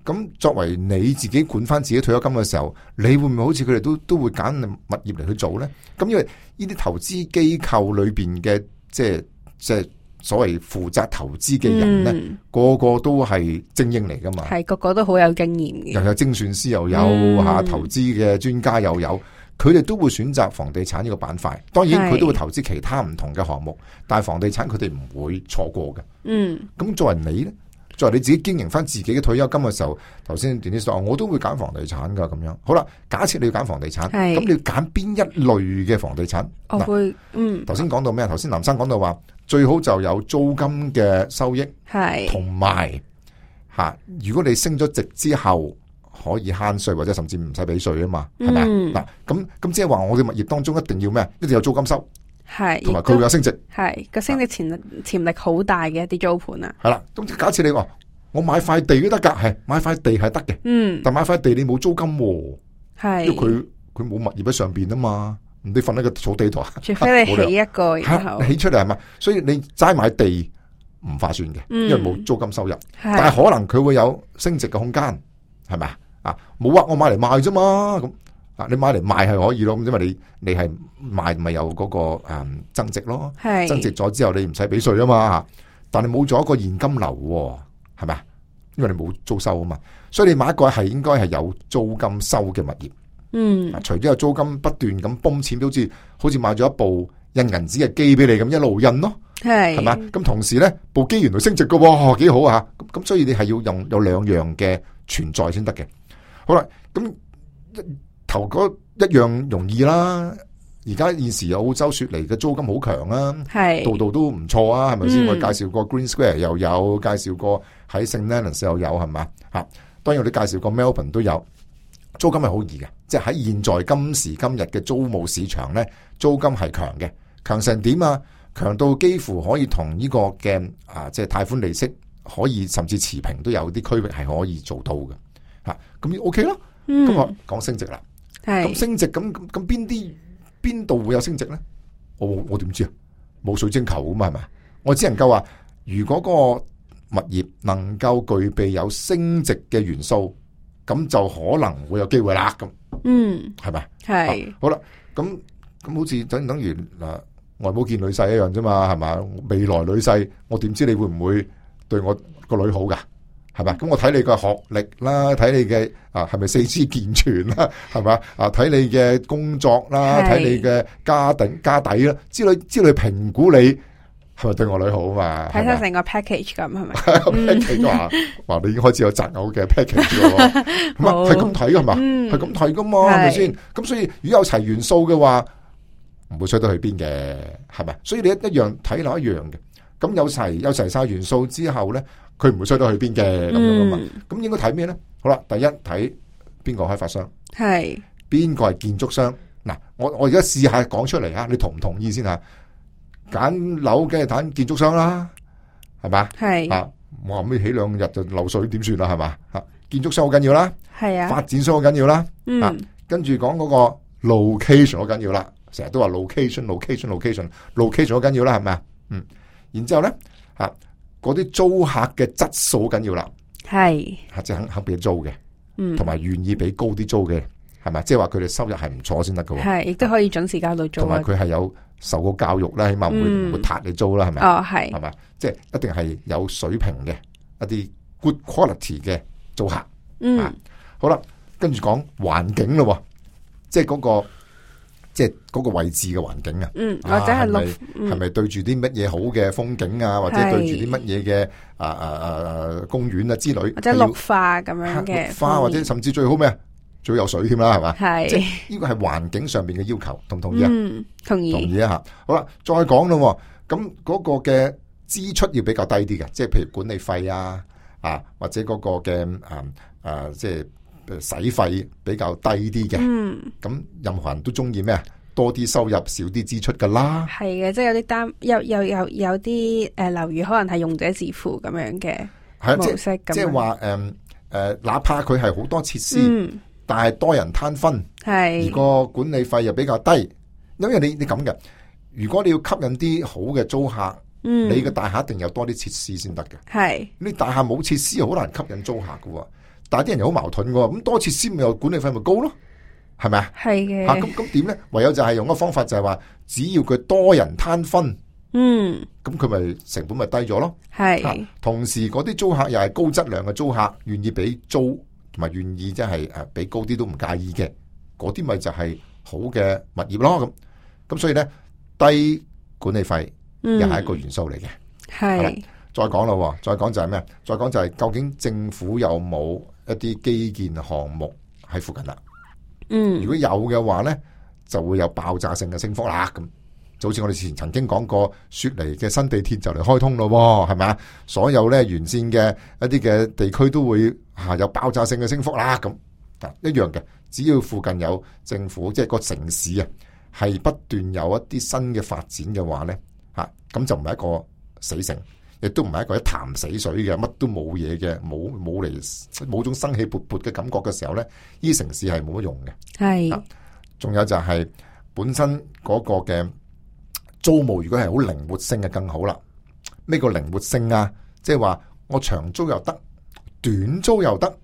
Speaker 2: 咁作為你自己管翻自己退休金嘅時候，你會唔會好似佢哋都都會揀物業嚟去做咧？咁因為呢啲投資機構裏邊嘅即係即係所謂負責投資嘅人咧、嗯，個個都係精英嚟噶嘛，係個個都好有經驗嘅，又有精算師又有吓、嗯、投資嘅專家又有，佢哋都會選擇房地產呢個板塊。當然佢都會投資其他唔同嘅項目，但係房地產佢哋唔會錯過嘅。嗯，咁作為你咧？作為你自己經營翻自己嘅退休金嘅時候，頭先電視講，我都會揀房地產噶咁樣。好啦，假設你要揀房地產，咁你要揀邊一類嘅房地產？我會，嗯，頭先講到咩？頭先林生講到話，最好就有租金嘅收益，係同埋吓，如果你升咗值之後可以慳稅或者甚至唔使俾稅啊嘛，係咪啊？嗱，咁咁即係話我哋物業當中一定要咩？一定有租金收。
Speaker 1: 係，
Speaker 2: 同埋佢會有升值，
Speaker 1: 係個升值潛潛力好大嘅一啲租盤啊。
Speaker 2: 係啦，咁假設你話我買塊地都得噶，係買塊地係得嘅，
Speaker 1: 嗯，
Speaker 2: 但買塊地你冇租金，
Speaker 1: 係，
Speaker 2: 因為佢佢冇物業喺上邊啊嘛，你瞓喺個草地度啊，
Speaker 1: 除非你起一個然後
Speaker 2: 起出嚟係嘛，所以你齋買地唔划算嘅，因為冇租金收入，
Speaker 1: 嗯、
Speaker 2: 但係可能佢會有升值嘅空間，係咪啊？冇話我買嚟賣啫嘛，咁啊你買嚟賣係可以咯，咁因為你你係賣咪有嗰、那個誒、嗯、增值咯，增值咗之後你唔使俾稅啊嘛，但係冇咗一個現金流，係咪啊？因為你冇租收啊嘛，所以你買一個係應該係有租金收嘅物業。嗯，除咗有租金不斷咁泵錢，好似好似買咗一部印銀紙嘅機俾你咁一路印咯，係係嘛？咁同時咧部機原來升值嘅喎，幾好啊！咁咁所以你係要用有兩樣嘅存在先得嘅。好啦，咁頭嗰一樣容易啦。而家現時澳洲雪梨嘅租金好強啊，係度度都唔錯啊，係咪先？嗯、我介紹過 Green Square 又有，介紹過喺 Saint Leonards 又有，係嘛？吓，當然我哋介紹過 Melbourne 都有，租金係好易嘅，即係喺現在今時今日嘅租務市場咧，租金係強嘅，強成點啊？強到幾乎可以同呢個嘅啊，即係貸款利息可以甚至持平，都有啲區域係可以做到嘅，吓咁 OK 咯。咁、嗯、我講升值啦，咁升值咁咁咁邊啲？邊度會有升值咧？我我點知啊？冇水晶球噶嘛，係咪？我只能夠話，如果個物業能夠具備有升值嘅元素，咁就可能會有機會啦。咁，嗯，係咪？係、啊。好啦，咁咁好似等等於嗱外母見女婿一樣啫嘛，係嘛？未來女婿，我點知你會唔會對我個女好噶？係咪？咁我睇你嘅學歷啦，睇你嘅啊係咪四肢健全啦，係咪啊？睇你嘅工作啦，睇你嘅家底家底啦，之類之類評估你係咪對我女好啊嘛？
Speaker 1: 睇晒成個 package 咁係咪
Speaker 2: ？package 話話你已經開始有擇偶嘅 package 咯，咁啊係咁睇噶係嘛？係咁睇噶嘛？係咪先？咁所以如果有齊元素嘅話，唔會衰得去邊嘅，係咪？所以你一一樣睇落一樣嘅。咁有齊有齊晒元素之後咧，佢唔會衰到去邊嘅咁樣噶嘛？咁應該睇咩咧？好啦，第一睇邊個開發商，係邊個係建築商。嗱，我我而家試下講出嚟吓，你同唔同意先吓？揀樓梗係揀建築商啦，係嘛？係啊，我後尾起兩日就漏水點算啦？係嘛？吓，建築商好緊要啦，係啊，發展商好緊要啦，嗯，啊、跟住講嗰個 location 好緊要啦，成日都話 location，location，location，location 好緊要啦，係咪啊？嗯。然之後咧，吓嗰啲租客嘅質素緊要啦，係吓即係肯肯俾租嘅，嗯，同埋願意俾高啲租嘅，係咪？即係話佢哋收入係唔錯先得㗎，係亦都可以準時交到租，同埋佢係有受過教育啦，起碼唔會唔會撻你租啦，係咪？哦，係，係咪？即係一定係有水平嘅一啲 good quality 嘅租客，嗯，啊、好啦，跟住講環境咯，即係嗰個。即係嗰個位置嘅環境啊，嗯，或者係綠，係咪對住啲乜嘢好嘅風景啊，或者對住啲乜嘢嘅啊啊啊公園啊之類，或者綠化咁樣嘅綠化，或者甚至最好咩啊？最好有水添啦，係嘛？係，即係呢個係環境上面嘅要求，同唔同意啊？嗯，同意，同意啊吓。好啦，再講咯，咁嗰個嘅支出要比較低啲嘅，即係譬如管理費啊，啊或者嗰個嘅啊啊即係。使費比較低啲嘅，嗯，咁任何人都中意咩啊？多啲收入，少啲支出噶啦。係嘅，即係有啲單，有有有有啲誒樓宇可能係用者自付咁樣嘅模式，即係話誒誒，哪怕佢係好多設施，嗯，但係多人攤分，係而個管理費又比較低，因為你你咁嘅，如果你要吸引啲好嘅租客，嗯，你嘅大廈一定有多啲設施先得嘅，係你大廈冇設施，好難吸引租客噶。但係啲人又好矛盾嘅，咁多設施咪又管理費咪高咯，係咪啊？係嘅。吓咁咁點咧？唯有就係用個方法就係話，只要佢多人攤分，嗯，咁佢咪成本咪低咗咯。係、啊。同時嗰啲租客又係高質量嘅租客，願意俾租同埋願意即係誒俾高啲都唔介意嘅，嗰啲咪就係好嘅物業咯。咁咁所以咧，低管理費又係一個元素嚟嘅。係、嗯。再講咯，再講就係咩？再講就係究竟政府有冇一啲基建項目喺附近啦？嗯，如果有嘅話咧，就會有爆炸性嘅升幅啦。咁就好似我哋之前曾經講過，雪梨嘅新地鐵就嚟開通咯，係咪啊？所有咧沿線嘅一啲嘅地區都會吓有爆炸性嘅升幅啦。咁啊一樣嘅，只要附近有政府，即係個城市啊，係不斷有一啲新嘅發展嘅話咧，吓咁就唔係一個死城，亦都唔係一個一潭死水嘅，乜都冇嘢嘅，冇冇嚟冇種生氣勃勃嘅感覺嘅時候咧，呢城市係冇乜用嘅。
Speaker 1: 係，
Speaker 2: 仲有就係本身嗰個嘅租務，如果係好靈活性嘅更好啦。咩叫靈活性啊？即係話我長租又得，短租又得，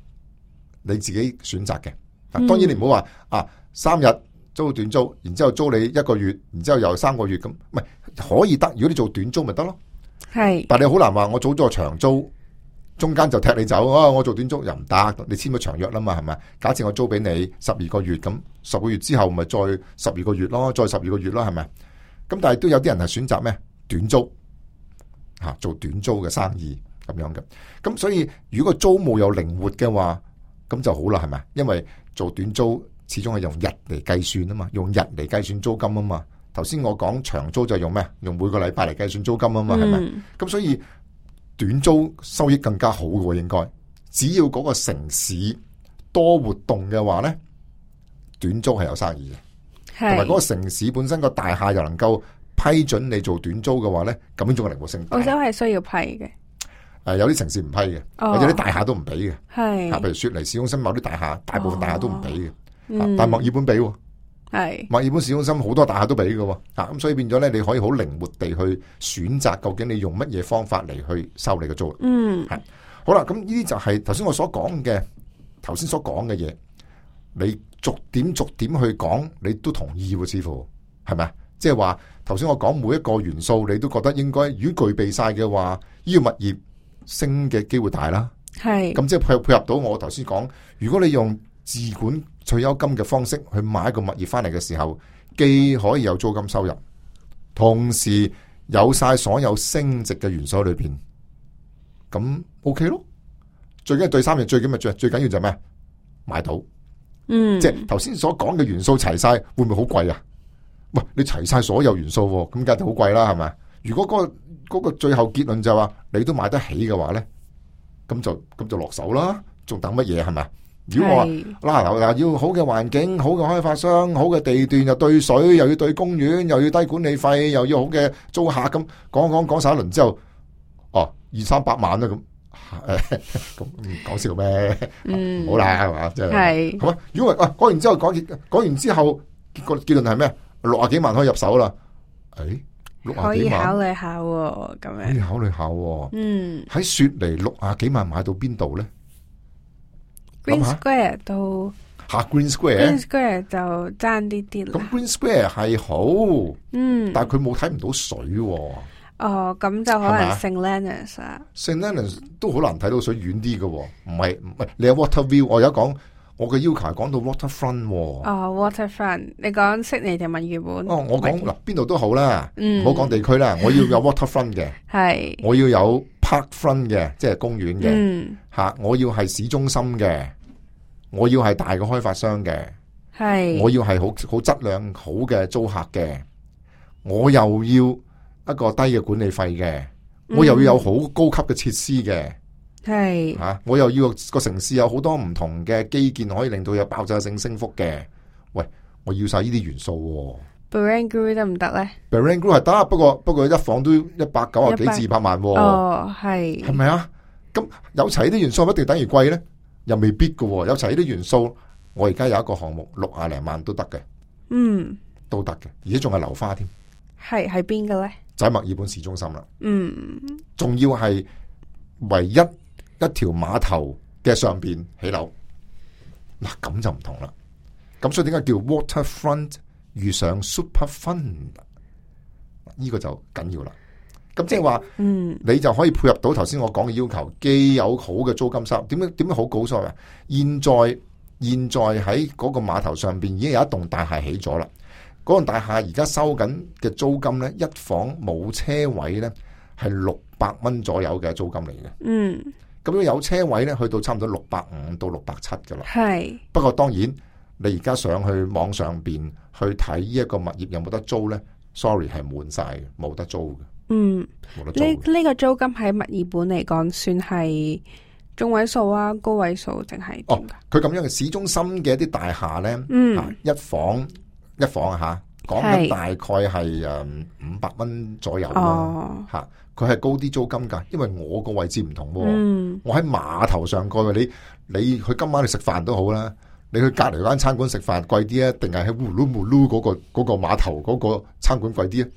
Speaker 2: 你自己選擇嘅。當然你唔好話啊，三日租短租，然之後租你一個月，然之後又三個月咁，唔係可以得。如果你做短租咪得咯，
Speaker 1: 係。但
Speaker 2: 你好難話我做咗長租，中間就踢你走啊！我做短租又唔得，你簽咗長約啦嘛，係咪？假設我租俾你十二個月，咁十個月之後咪再十二個月咯，再十二個月咯，係咪？咁但係都有啲人係選擇咩？短租吓、啊，做短租嘅生意咁樣嘅。咁所以如果個租務又靈活嘅話，咁就好啦，係咪？因為做短租始終係用日嚟計算啊嘛，用日嚟計算租金啊嘛。頭先我講長租就用咩？用每個禮拜嚟計算租金啊嘛，係咪？咁、嗯、所以短租收益更加好嘅，應該只要嗰個城市多活動嘅話咧，短租係有生意嘅，同埋嗰個城市本身個大廈又能夠批准你做短租嘅話咧，咁樣仲係靈活性大。
Speaker 1: 澳洲係需要批嘅。
Speaker 2: 誒、呃，有啲城市唔批嘅，
Speaker 1: 哦、
Speaker 2: 或者啲大廈都唔俾嘅，
Speaker 1: 係，
Speaker 2: 譬如雪梨市中心某啲大廈，大部分大廈都唔俾嘅，
Speaker 1: 嗯、
Speaker 2: 但係墨爾本俾，
Speaker 1: 係，墨
Speaker 2: 爾本市中心好多大廈都俾嘅，啊，咁所以變咗咧，你可以好靈活地去選擇，究竟你用乜嘢方法嚟去收你嘅租。
Speaker 1: 嗯，
Speaker 2: 係，好啦，咁呢啲就係頭先我所講嘅，頭先所講嘅嘢，你逐點逐點去講，你都同意喎，似乎係咪啊？即係話頭先我講每一個元素，你都覺得應該如果具備晒嘅話，呢個物業升嘅機會大啦，
Speaker 1: 係
Speaker 2: 咁即係配配合到我頭先講，如果你用自管退休金嘅方式去買一個物業翻嚟嘅時候，既可以有租金收入，同時有晒所有升值嘅元素喺裏邊，咁 OK 咯。最緊要對三樣，最緊要最最緊要就係咩？買到，
Speaker 1: 嗯，
Speaker 2: 即係頭先所講嘅元素齊晒，會唔會好貴啊？喂，你齊晒所有元素，咁梗係好貴啦，係咪？如果嗰個嗰個最後結論就係話你都買得起嘅話咧，咁就咁就落手啦，仲等乜嘢係咪？如果我話嗱嗱要好嘅環境、好嘅開發商、好嘅地段，又對水，又要對公園，又要低管理費，又要好嘅租客，咁講講講晒一輪之後，哦二三百萬啦咁，誒咁講笑咩？嗯，好啦係嘛，即係係嘛？如果啊講完之後講講完之後，結果結論係咩？六啊幾萬可以入手啦，誒。
Speaker 1: 可以考慮下喎，咁樣
Speaker 2: 可以考慮下喎。
Speaker 1: 嗯，
Speaker 2: 喺雪梨六啊幾萬買到邊度咧
Speaker 1: ？Green Square 都
Speaker 2: 吓 Green Square，Green
Speaker 1: Square 就爭啲啲啦。
Speaker 2: 咁 Green Square 係好，
Speaker 1: 嗯，
Speaker 2: 但係佢冇睇唔到水喎。
Speaker 1: 哦，咁就可能 Saint Leonards 啊
Speaker 2: ，Saint Leonards 都好難睇到水，遠啲嘅，唔係唔係你有 Water View，我而家講。我嘅要求係講到 waterfront 喎。
Speaker 1: 哦 waterfront，你講悉尼定墨爾本？
Speaker 2: 哦，我講嗱邊度都好啦，唔好講地區啦，我要有 waterfront 嘅，
Speaker 1: 係，
Speaker 2: 我要有 parkfront 嘅，即係公園嘅，吓、
Speaker 1: 嗯，
Speaker 2: 我要係市中心嘅，我要係大嘅開發商嘅，
Speaker 1: 係，
Speaker 2: 我要係好好質量好嘅租客嘅，我又要一個低嘅管理費嘅，我又要有好高級嘅設施嘅。
Speaker 1: 係
Speaker 2: 吓、啊，我又要個城市有好多唔同嘅基建，可以令到有爆炸性升幅嘅。喂，我要晒呢啲元素、啊。
Speaker 1: Barangaroo 得唔得咧
Speaker 2: Barangaroo 係得，不過不過一房都一百九啊幾至二百萬、啊。
Speaker 1: 哦，係
Speaker 2: 係咪啊？咁有齊呢啲元素，一定等於貴咧？又未必噶、啊。有齊呢啲元素，我而家有一個項目六啊零萬都得嘅。
Speaker 1: 嗯，
Speaker 2: 都得嘅，而且仲係樓花添。
Speaker 1: 係喺邊嘅咧？
Speaker 2: 就喺墨爾本市中心啦。
Speaker 1: 嗯，
Speaker 2: 仲要係唯一。一條碼頭嘅上邊起樓，嗱咁就唔同啦。咁所以點解叫 waterfront 遇上 superfund？呢個就緊要啦。咁即係話，嗯，你就可以配合到頭先我講嘅要求，既有好嘅租金收入。點樣點樣好高所謂？現在現在喺嗰個碼頭上邊已經有一棟大廈起咗啦。嗰棟大廈而家收緊嘅租金咧，一房冇車位咧係六百蚊左右嘅租金嚟嘅。嗯。咁樣有車位咧，去到差唔多六百五到六百七噶啦。係。不過當然，你而家上去網上邊去睇呢一個物業有冇得租咧 ？Sorry，係滿晒嘅，冇得租嘅。嗯，冇得租。
Speaker 1: 呢呢個租金喺墨爾本嚟講，算係中位數啊，高位數定係點㗎？
Speaker 2: 哦，佢咁樣嘅市中心嘅一啲大廈咧，
Speaker 1: 嗯，
Speaker 2: 啊，一房一房啊講緊大概係誒五百蚊左右啦，吓、哦，佢係高啲租金噶，因為我個位置唔同，嗯、我喺碼頭上蓋，你你去今晚去食飯都好啦，你去隔籬間餐館食飯貴啲啊，定係喺烏嚕木嚕嗰個嗰、嗰個碼頭嗰個餐館貴啲啊？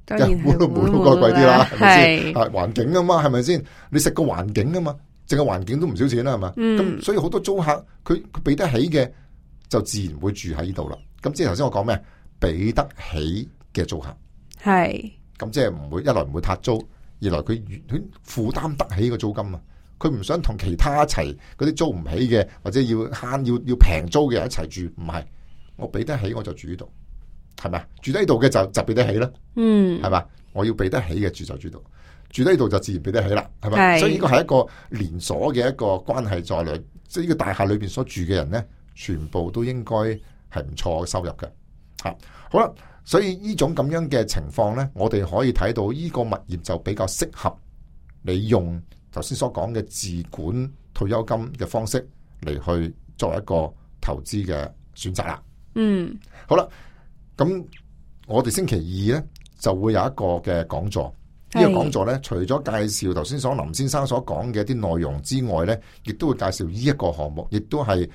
Speaker 2: 當然烏嚕木嚕嗰個貴啲啦，係咪先？啊，環境啊嘛，係咪先？你食個環境啊嘛，淨係環境都唔少錢啦，係嘛？咁、嗯、所以好多租客佢佢俾得起嘅，就自然會住喺呢度啦。咁即係頭先我講咩？俾得起嘅租客係，咁即係唔會一來唔會撻租，二來佢佢負擔得起個租金啊！佢唔想同其他一齊嗰啲租唔起嘅，或者要慳要要平租嘅人一齊住，唔係，我俾得起我就住呢度，係咪？住喺度嘅就就俾得起啦，嗯，係嘛？我要俾得起嘅住就住度，住喺度就自然俾得起啦，係咪？所以呢個係一個連鎖嘅一個關係在內，即係呢個大廈裏邊所住嘅人咧，全部都應該係唔錯嘅收入嘅。吓，好啦，所以呢種咁樣嘅情況呢，我哋可以睇到呢個物業就比較適合你用頭先所講嘅自管退休金嘅方式嚟去作為一個投資嘅選擇啦。嗯，好啦，咁我哋星期二呢就會有一個嘅講座，呢、這個講座呢，除咗介紹頭先所林先生所講嘅一啲內容之外呢，亦都會介紹呢一個項目，亦都係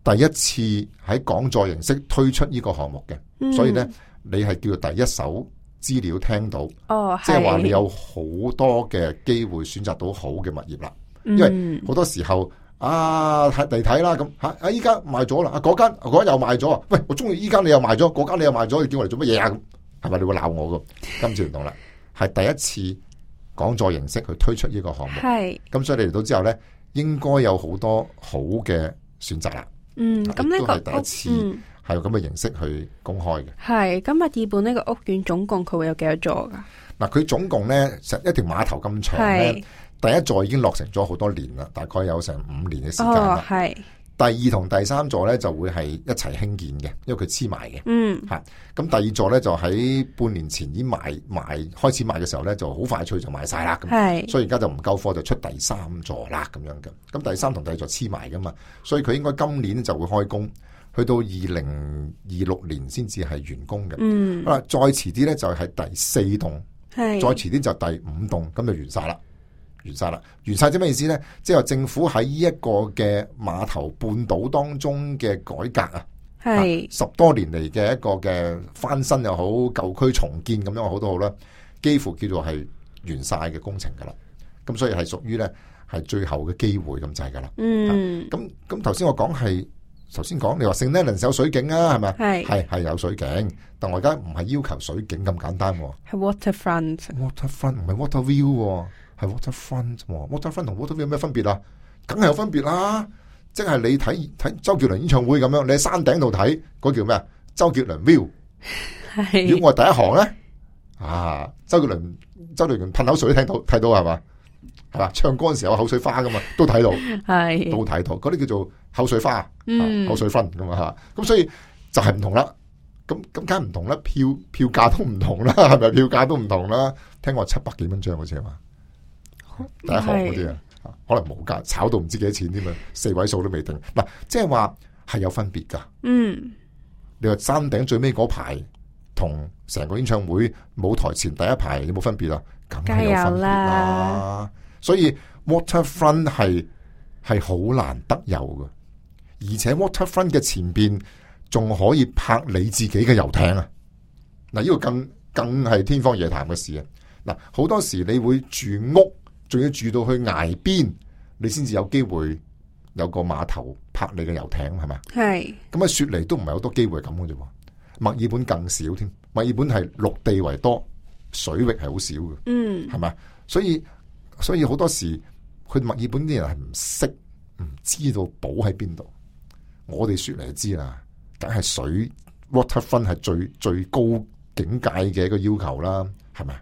Speaker 2: 第一次喺講座形式推出呢個項目嘅、嗯，所以咧你係叫做第一手資料聽到，哦，即係話你有好多嘅機會選擇到好嘅物業啦、嗯。因為好多時候啊睇嚟睇啦咁吓，啊依家賣咗啦，啊嗰間嗰間又賣咗啊，喂我中意依間你又賣咗，嗰間你又賣咗，你叫我嚟做乜嘢啊？係咪你會鬧我噶？今次唔同啦，係第一次講座形式去推出呢個項目，係咁所以你嚟到之後咧，應該有好多好嘅選擇啦。嗯，咁呢個第一次係用咁嘅形式去公開嘅。係，咁墨爾本呢個屋苑總共佢會有幾多座噶？嗱，佢總共咧成一條碼頭咁長咧，第一座已經落成咗好多年啦，大概有成五年嘅時間啦。係、哦，第二同第三座咧就會係一齊興建嘅，因為佢黐埋嘅。嗯，吓，咁第二座咧就喺半年前已經賣賣開始賣嘅時候咧，就好快脆就賣晒啦。咁，係，所以而家就唔夠貨就出第三座啦，咁樣嘅。咁第三同第二座黐埋噶嘛，所以佢應該今年就會開工，去到二零二六年先至係完工嘅。嗯，好啦，再遲啲咧就係第四棟，係，再遲啲就第五棟，咁就完晒啦。完晒啦，完晒即咩意思咧？即係話政府喺呢一個嘅碼頭半島當中嘅改革啊，係十多年嚟嘅一個嘅翻新又好，舊區重建咁樣好都好啦，幾乎叫做係完晒嘅工程噶啦。咁所以係屬於咧係最後嘅機會咁滯噶啦。嗯，咁咁頭先我講係頭先講你話聖尼倫有水景啊，係咪？係係係有水景，但我而家唔係要求水景咁簡單，係 waterfront，waterfront 唔係 water view。係 waterfront，waterfront 同 water view 有咩分別啊？梗係有分別啦！即係你睇睇周杰倫演唱會咁樣，你喺山頂度睇嗰叫咩啊？周杰倫 view。係。如果我係第一行咧，啊，周杰倫周杰倫噴口水都聽到睇到係嘛？係嘛？唱歌嗰時候有口水花噶嘛，都睇到。係。都睇到，嗰啲叫做口水花，嗯、口水分咁啊吓。咁所以就係唔同啦。咁咁梗係唔同啦，票票價都唔同啦，係咪？票價都唔同啦。聽講七百幾蚊張好似係嘛？第一行嗰啲啊，可能冇價，炒到唔知幾多錢添啊，四位數都未定。嗱，即係話係有分別噶。嗯，你話山頂最尾嗰排同成個演唱會舞台前第一排有冇分別啊？梗係有分別啦。所以 waterfront 係係好難得有噶，而且 waterfront 嘅前邊仲可以泊你自己嘅遊艇啊！嗱，呢個更更係天方夜譚嘅事啊！嗱，好多時你會住屋。仲要住到去崖邊，你先至有機會有個碼頭泊你嘅遊艇，係咪？係。咁啊，雪梨都唔係好多機會咁嘅啫。墨爾本更少添，墨爾本係陸地為多，水域係好少嘅。嗯，係咪？所以所以好多時，佢墨爾本啲人係唔識，唔知道寶喺邊度。我哋雪梨就知啦，梗係水 waterfront 係最最高境界嘅一個要求啦，係咪？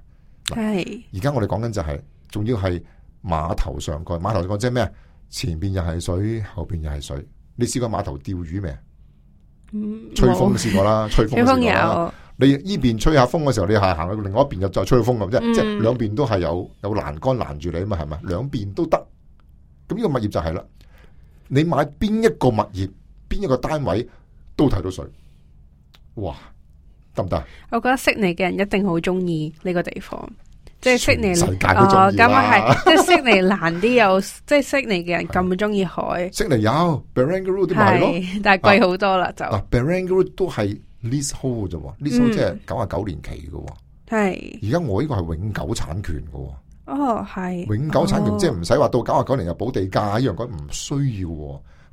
Speaker 2: 係。而家我哋講緊就係、是。仲要係碼頭上蓋，碼頭上蓋即係咩？前邊又係水，後邊又係水。你試過碼頭釣魚未？嗯，吹風都試過啦，吹風都試過啦。你依邊吹下風嘅時候，你係行去另外一邊又再吹風咁啫、嗯，即係兩邊都係有有欄杆攔住你啊嘛，係咪？兩邊都得。咁呢個物業就係啦，你買邊一個物業，邊一個單位都睇到水。哇！得唔得？
Speaker 1: 我覺得悉尼嘅人一定好中意呢個地方。即係悉尼，
Speaker 2: 世界都中意啦。
Speaker 1: 咁啊係，即係悉尼難啲有，即係悉尼嘅人咁中意海。
Speaker 2: 悉尼有 Barangaroo 啲咪咯，
Speaker 1: 但係貴好多啦就。
Speaker 2: 啊 Barangaroo 都係 leasehold 啫，leasehold 即係九十九年期嘅。係。而家我呢個係永久產權嘅。
Speaker 1: 哦，係。
Speaker 2: 永久產權、哦、即係唔使話到九十九年又補地價一樣，講唔需要，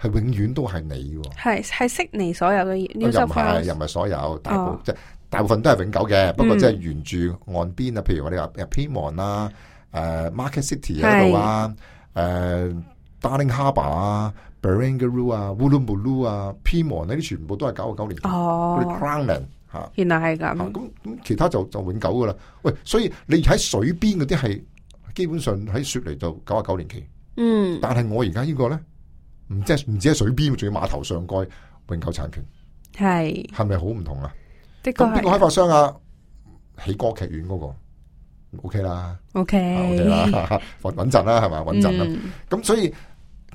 Speaker 2: 係永遠都係你。係
Speaker 1: 係悉尼所有嘅 New South Wales
Speaker 2: 又唔係所有，大部、哦、即係。大部分都係永久嘅，不過即係沿住岸邊啊，譬如我哋話 Pyrmont 啊、誒 Market City 喺度啊、誒 Darling Harbour 啊、Barangaroo 啊、Woolloomooloo 啊、Pyrmont 呢啲全部都係九十九年，嗰啲 Crownland 嚇。
Speaker 1: 原來係咁。
Speaker 2: 咁咁其他就就永久噶啦。喂，所以你喺水邊嗰啲係基本上喺雪梨就九十九年期。嗯。但係我而家呢個咧，唔即係唔止喺水邊，仲要碼頭上蓋永久產權。係。係咪好唔同啊？咁邊個開發商啊？起歌劇院嗰、那個 OK 啦
Speaker 1: ，OK
Speaker 2: 啦，穩穩陣啦，係咪穩陣啦？咁、嗯、所以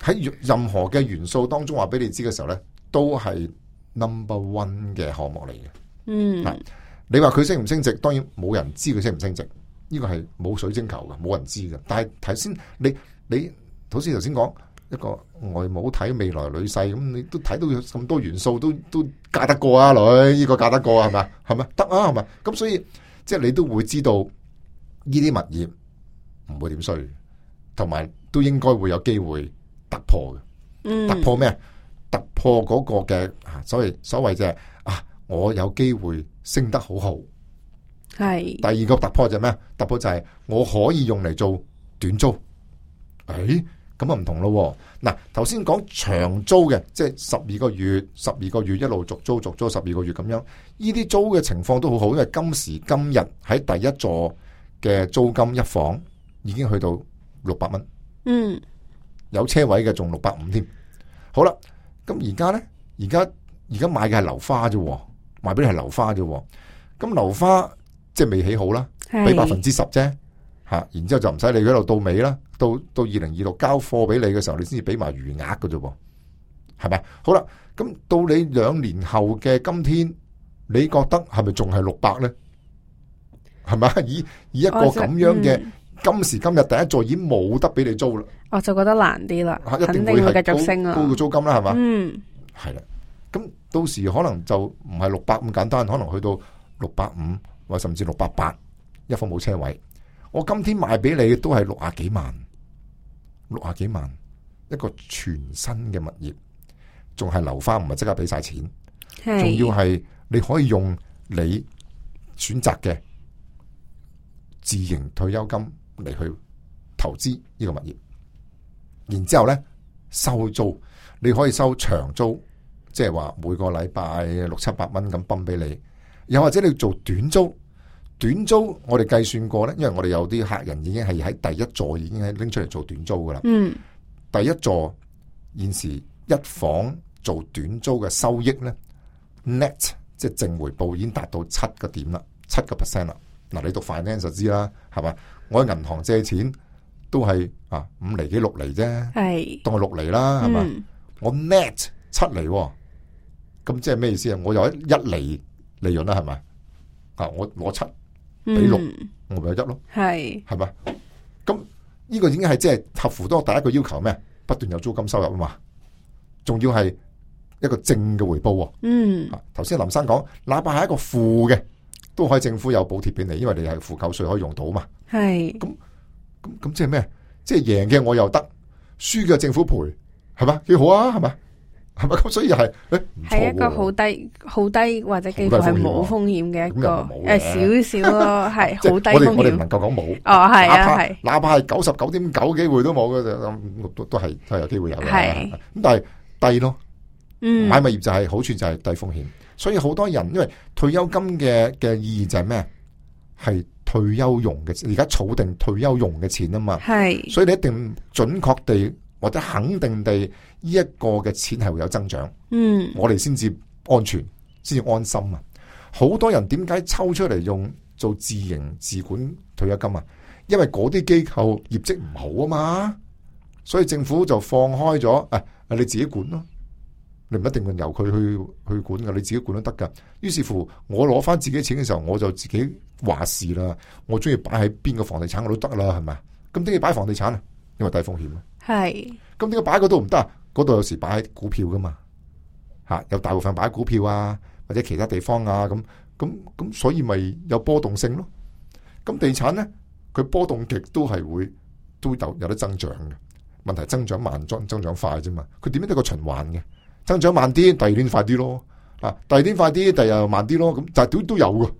Speaker 2: 喺任何嘅元素當中話俾你知嘅時候咧，都係 number one 嘅項目嚟嘅。嗯，你話佢升唔升值，當然冇人知佢升唔升值，呢、這個係冇水晶球嘅，冇人知嘅。但係頭先你你好似頭先講。一個外母睇未來女婿，咁你都睇到咁多元素，都都嫁得過啊女，呢、這個嫁得過係咪？係咪得啊？係咪？咁所以即係你都會知道呢啲物業唔會點衰，同埋都應該會有機會突破嘅。嗯，突破咩？突破嗰個嘅所謂所謂就係啊，我有機會升得好好。係。第二個突破就係咩？突破就係我可以用嚟做短租。誒。咁啊唔同咯，嗱頭先講長租嘅，即係十二個月、十二個月一路續租、續租十二個月咁樣，呢啲租嘅情況都好好，因為今時今日喺第一座嘅租金一房已經去到六百蚊，嗯，有車位嘅仲六百五添。好啦，咁而家咧，而家而家買嘅係樓花啫，賣俾你係樓花啫，咁樓花即係未起好啦，俾百分之十啫。吓，然之後就唔使你嗰度到尾啦，到到二零二六交貨俾你嘅時候，你先至俾埋餘額嘅啫，係咪？好啦，咁到你兩年後嘅今天，你覺得係咪仲係六百咧？係咪？以以一個咁樣嘅、嗯、今時今日第一座已經冇得俾你租啦，我就覺得難啲啦，一定會係繼續升啊，高嘅租金啦，係嘛？嗯，係啦，咁到時可能就唔係六百咁簡單，可能去到六百五或甚至六百八，一房冇車位。我今天賣俾你都係六啊幾萬，六啊幾萬一個全新嘅物業，仲係樓花，唔係即刻俾晒錢，仲要係你可以用你選擇嘅自營退休金嚟去投資呢個物業，然之後咧收租，你可以收長租，即係話每個禮拜六七百蚊咁泵俾你，又或者你做短租。短租我哋計算過咧，因為我哋有啲客人已經係喺第一座已經係拎出嚟做短租噶啦。嗯，第一座現時一房做短租嘅收益咧 ，net 即係淨回報已經達到七個點啦，七個 percent 啦。嗱，你讀 finance 就知啦，係嘛？我喺銀行借錢都係啊五厘幾六厘啫，係當係六厘啦，係嘛？嗯、我 net 七厘，咁即係咩意思啊？我有一一厘利潤啦，係咪？啊，我攞七。俾六，我咪有一咯，係係嘛？咁呢個已經係即係合乎多第一個要求咩？不斷有租金收入啊嘛，仲要係一個正嘅回報。嗯，頭先林生講，哪怕係一個負嘅，都可以政府有補貼俾你，因為你係負扣稅可以用到嘛。係咁咁咁，即係咩？即係贏嘅我又得，輸嘅政府賠，係嘛？幾好啊？係嘛？係咪咁？所以又係誒，係一個好低、好低或者幾乎係冇風險嘅一個誒，少少咯，係好低風險。我哋我哋唔能夠講冇哦，係啊，係哪怕係九十九點九機會都冇嘅，就都都係都係有機會有嘅。係咁，但係低咯。嗯，買物業就係好處就係低風險，所以好多人因為退休金嘅嘅意義就係咩？係退休用嘅，而家儲定退休用嘅錢啊嘛。係，所以你一定準確地。或者肯定地，呢一個嘅錢係會有增長，嗯，我哋先至安全，先至安心啊！好多人點解抽出嚟用做自營自管退休金啊？因為嗰啲機構業績唔好啊嘛，所以政府就放開咗，誒、哎，你自己管咯，你唔一定由佢去去管噶，你自己管都得噶。於是乎，我攞翻自己錢嘅時候，我就自己話事啦。我中意擺喺邊個房地產我都得啦，係咪？咁點解擺房地產啊？因為低風險啊。係。咁點解擺嗰度唔得啊？嗰度有時擺喺股票噶嘛，吓有大部分擺喺股票啊，或者其他地方啊，咁咁咁，所以咪有波動性咯。咁地產咧，佢波動極都係會都有有得增長嘅。問題增長慢，增增長快啫嘛。佢點樣都個循環嘅，增長慢啲，第二年快啲咯。啊，第二年快啲，第二又慢啲咯。咁但係都都有嘅，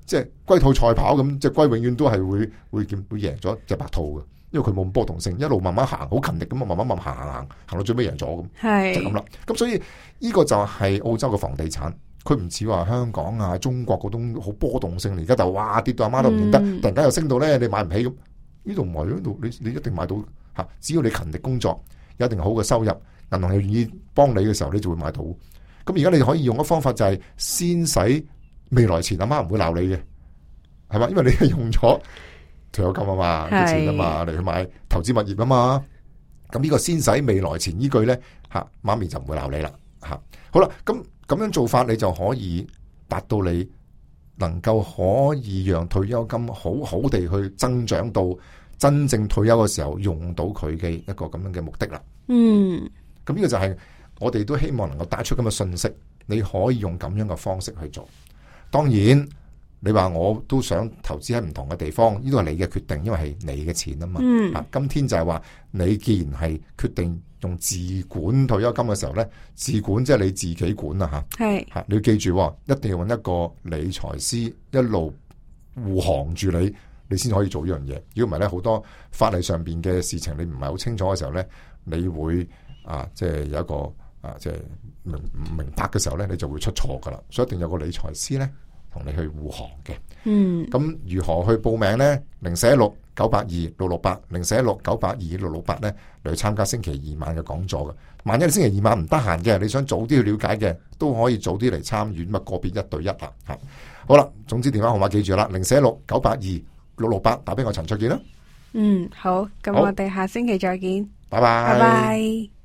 Speaker 2: 即係龜兔賽跑咁，隻龜永遠都係會會見會贏咗隻白兔嘅。因為佢冇咁波動性，一路慢慢行，好勤力咁啊，慢慢慢行行行，行到最尾贏咗咁，係就咁啦。咁所以呢個就係澳洲嘅房地產，佢唔似話香港啊、中國嗰種好波動性。而家就哇跌到阿媽都唔認得，嗯、突然間又升到咧，你買唔起咁。呢度唔係，呢度你你一定買到吓，只要你勤力工作，有一定好嘅收入，銀行又願意幫你嘅時候，你就會買到。咁而家你可以用嘅方法就係先使未來錢，阿媽唔會鬧你嘅，係嘛？因為你係用咗退休金啊嘛，啲錢啊嘛，嚟去買投資物業啊嘛，咁呢個先使未來錢依句咧，吓媽咪就唔會鬧你啦，吓好啦，咁咁樣做法你就可以達到你能夠可以讓退休金好好地去增長到真正退休嘅時候用到佢嘅一個咁樣嘅目的啦。嗯，咁呢個就係我哋都希望能夠帶出咁嘅信息，你可以用咁樣嘅方式去做，當然。你話我都想投資喺唔同嘅地方，呢個係你嘅決定，因為係你嘅錢啊嘛。嗯，啊，今天就係話你既然係決定用自管退休金嘅時候咧，自管即係你自己管啊吓。係，吓你要記住，一定要揾一個理財師一路護航住你，你先可以做呢樣嘢。如果唔係咧，好多法例上邊嘅事情你唔係好清楚嘅時候咧，你會啊，即係有一個啊，即係明唔明白嘅時候咧，你就會出錯噶啦。所以一定有個理財師咧。同你去護航嘅，嗯，咁如何去報名呢？零四一六九八二六六八，零四一六九八二六六八咧嚟參加星期二晚嘅講座嘅。萬一你星期二晚唔得閒嘅，你想早啲去了解嘅，都可以早啲嚟參與，咁啊個別一對一啦，吓。好啦，總之電話號碼記住啦，零四一六九八二六六八，打俾我陳焯楗啦。嗯，好，咁我哋下星期再見，拜拜，拜拜。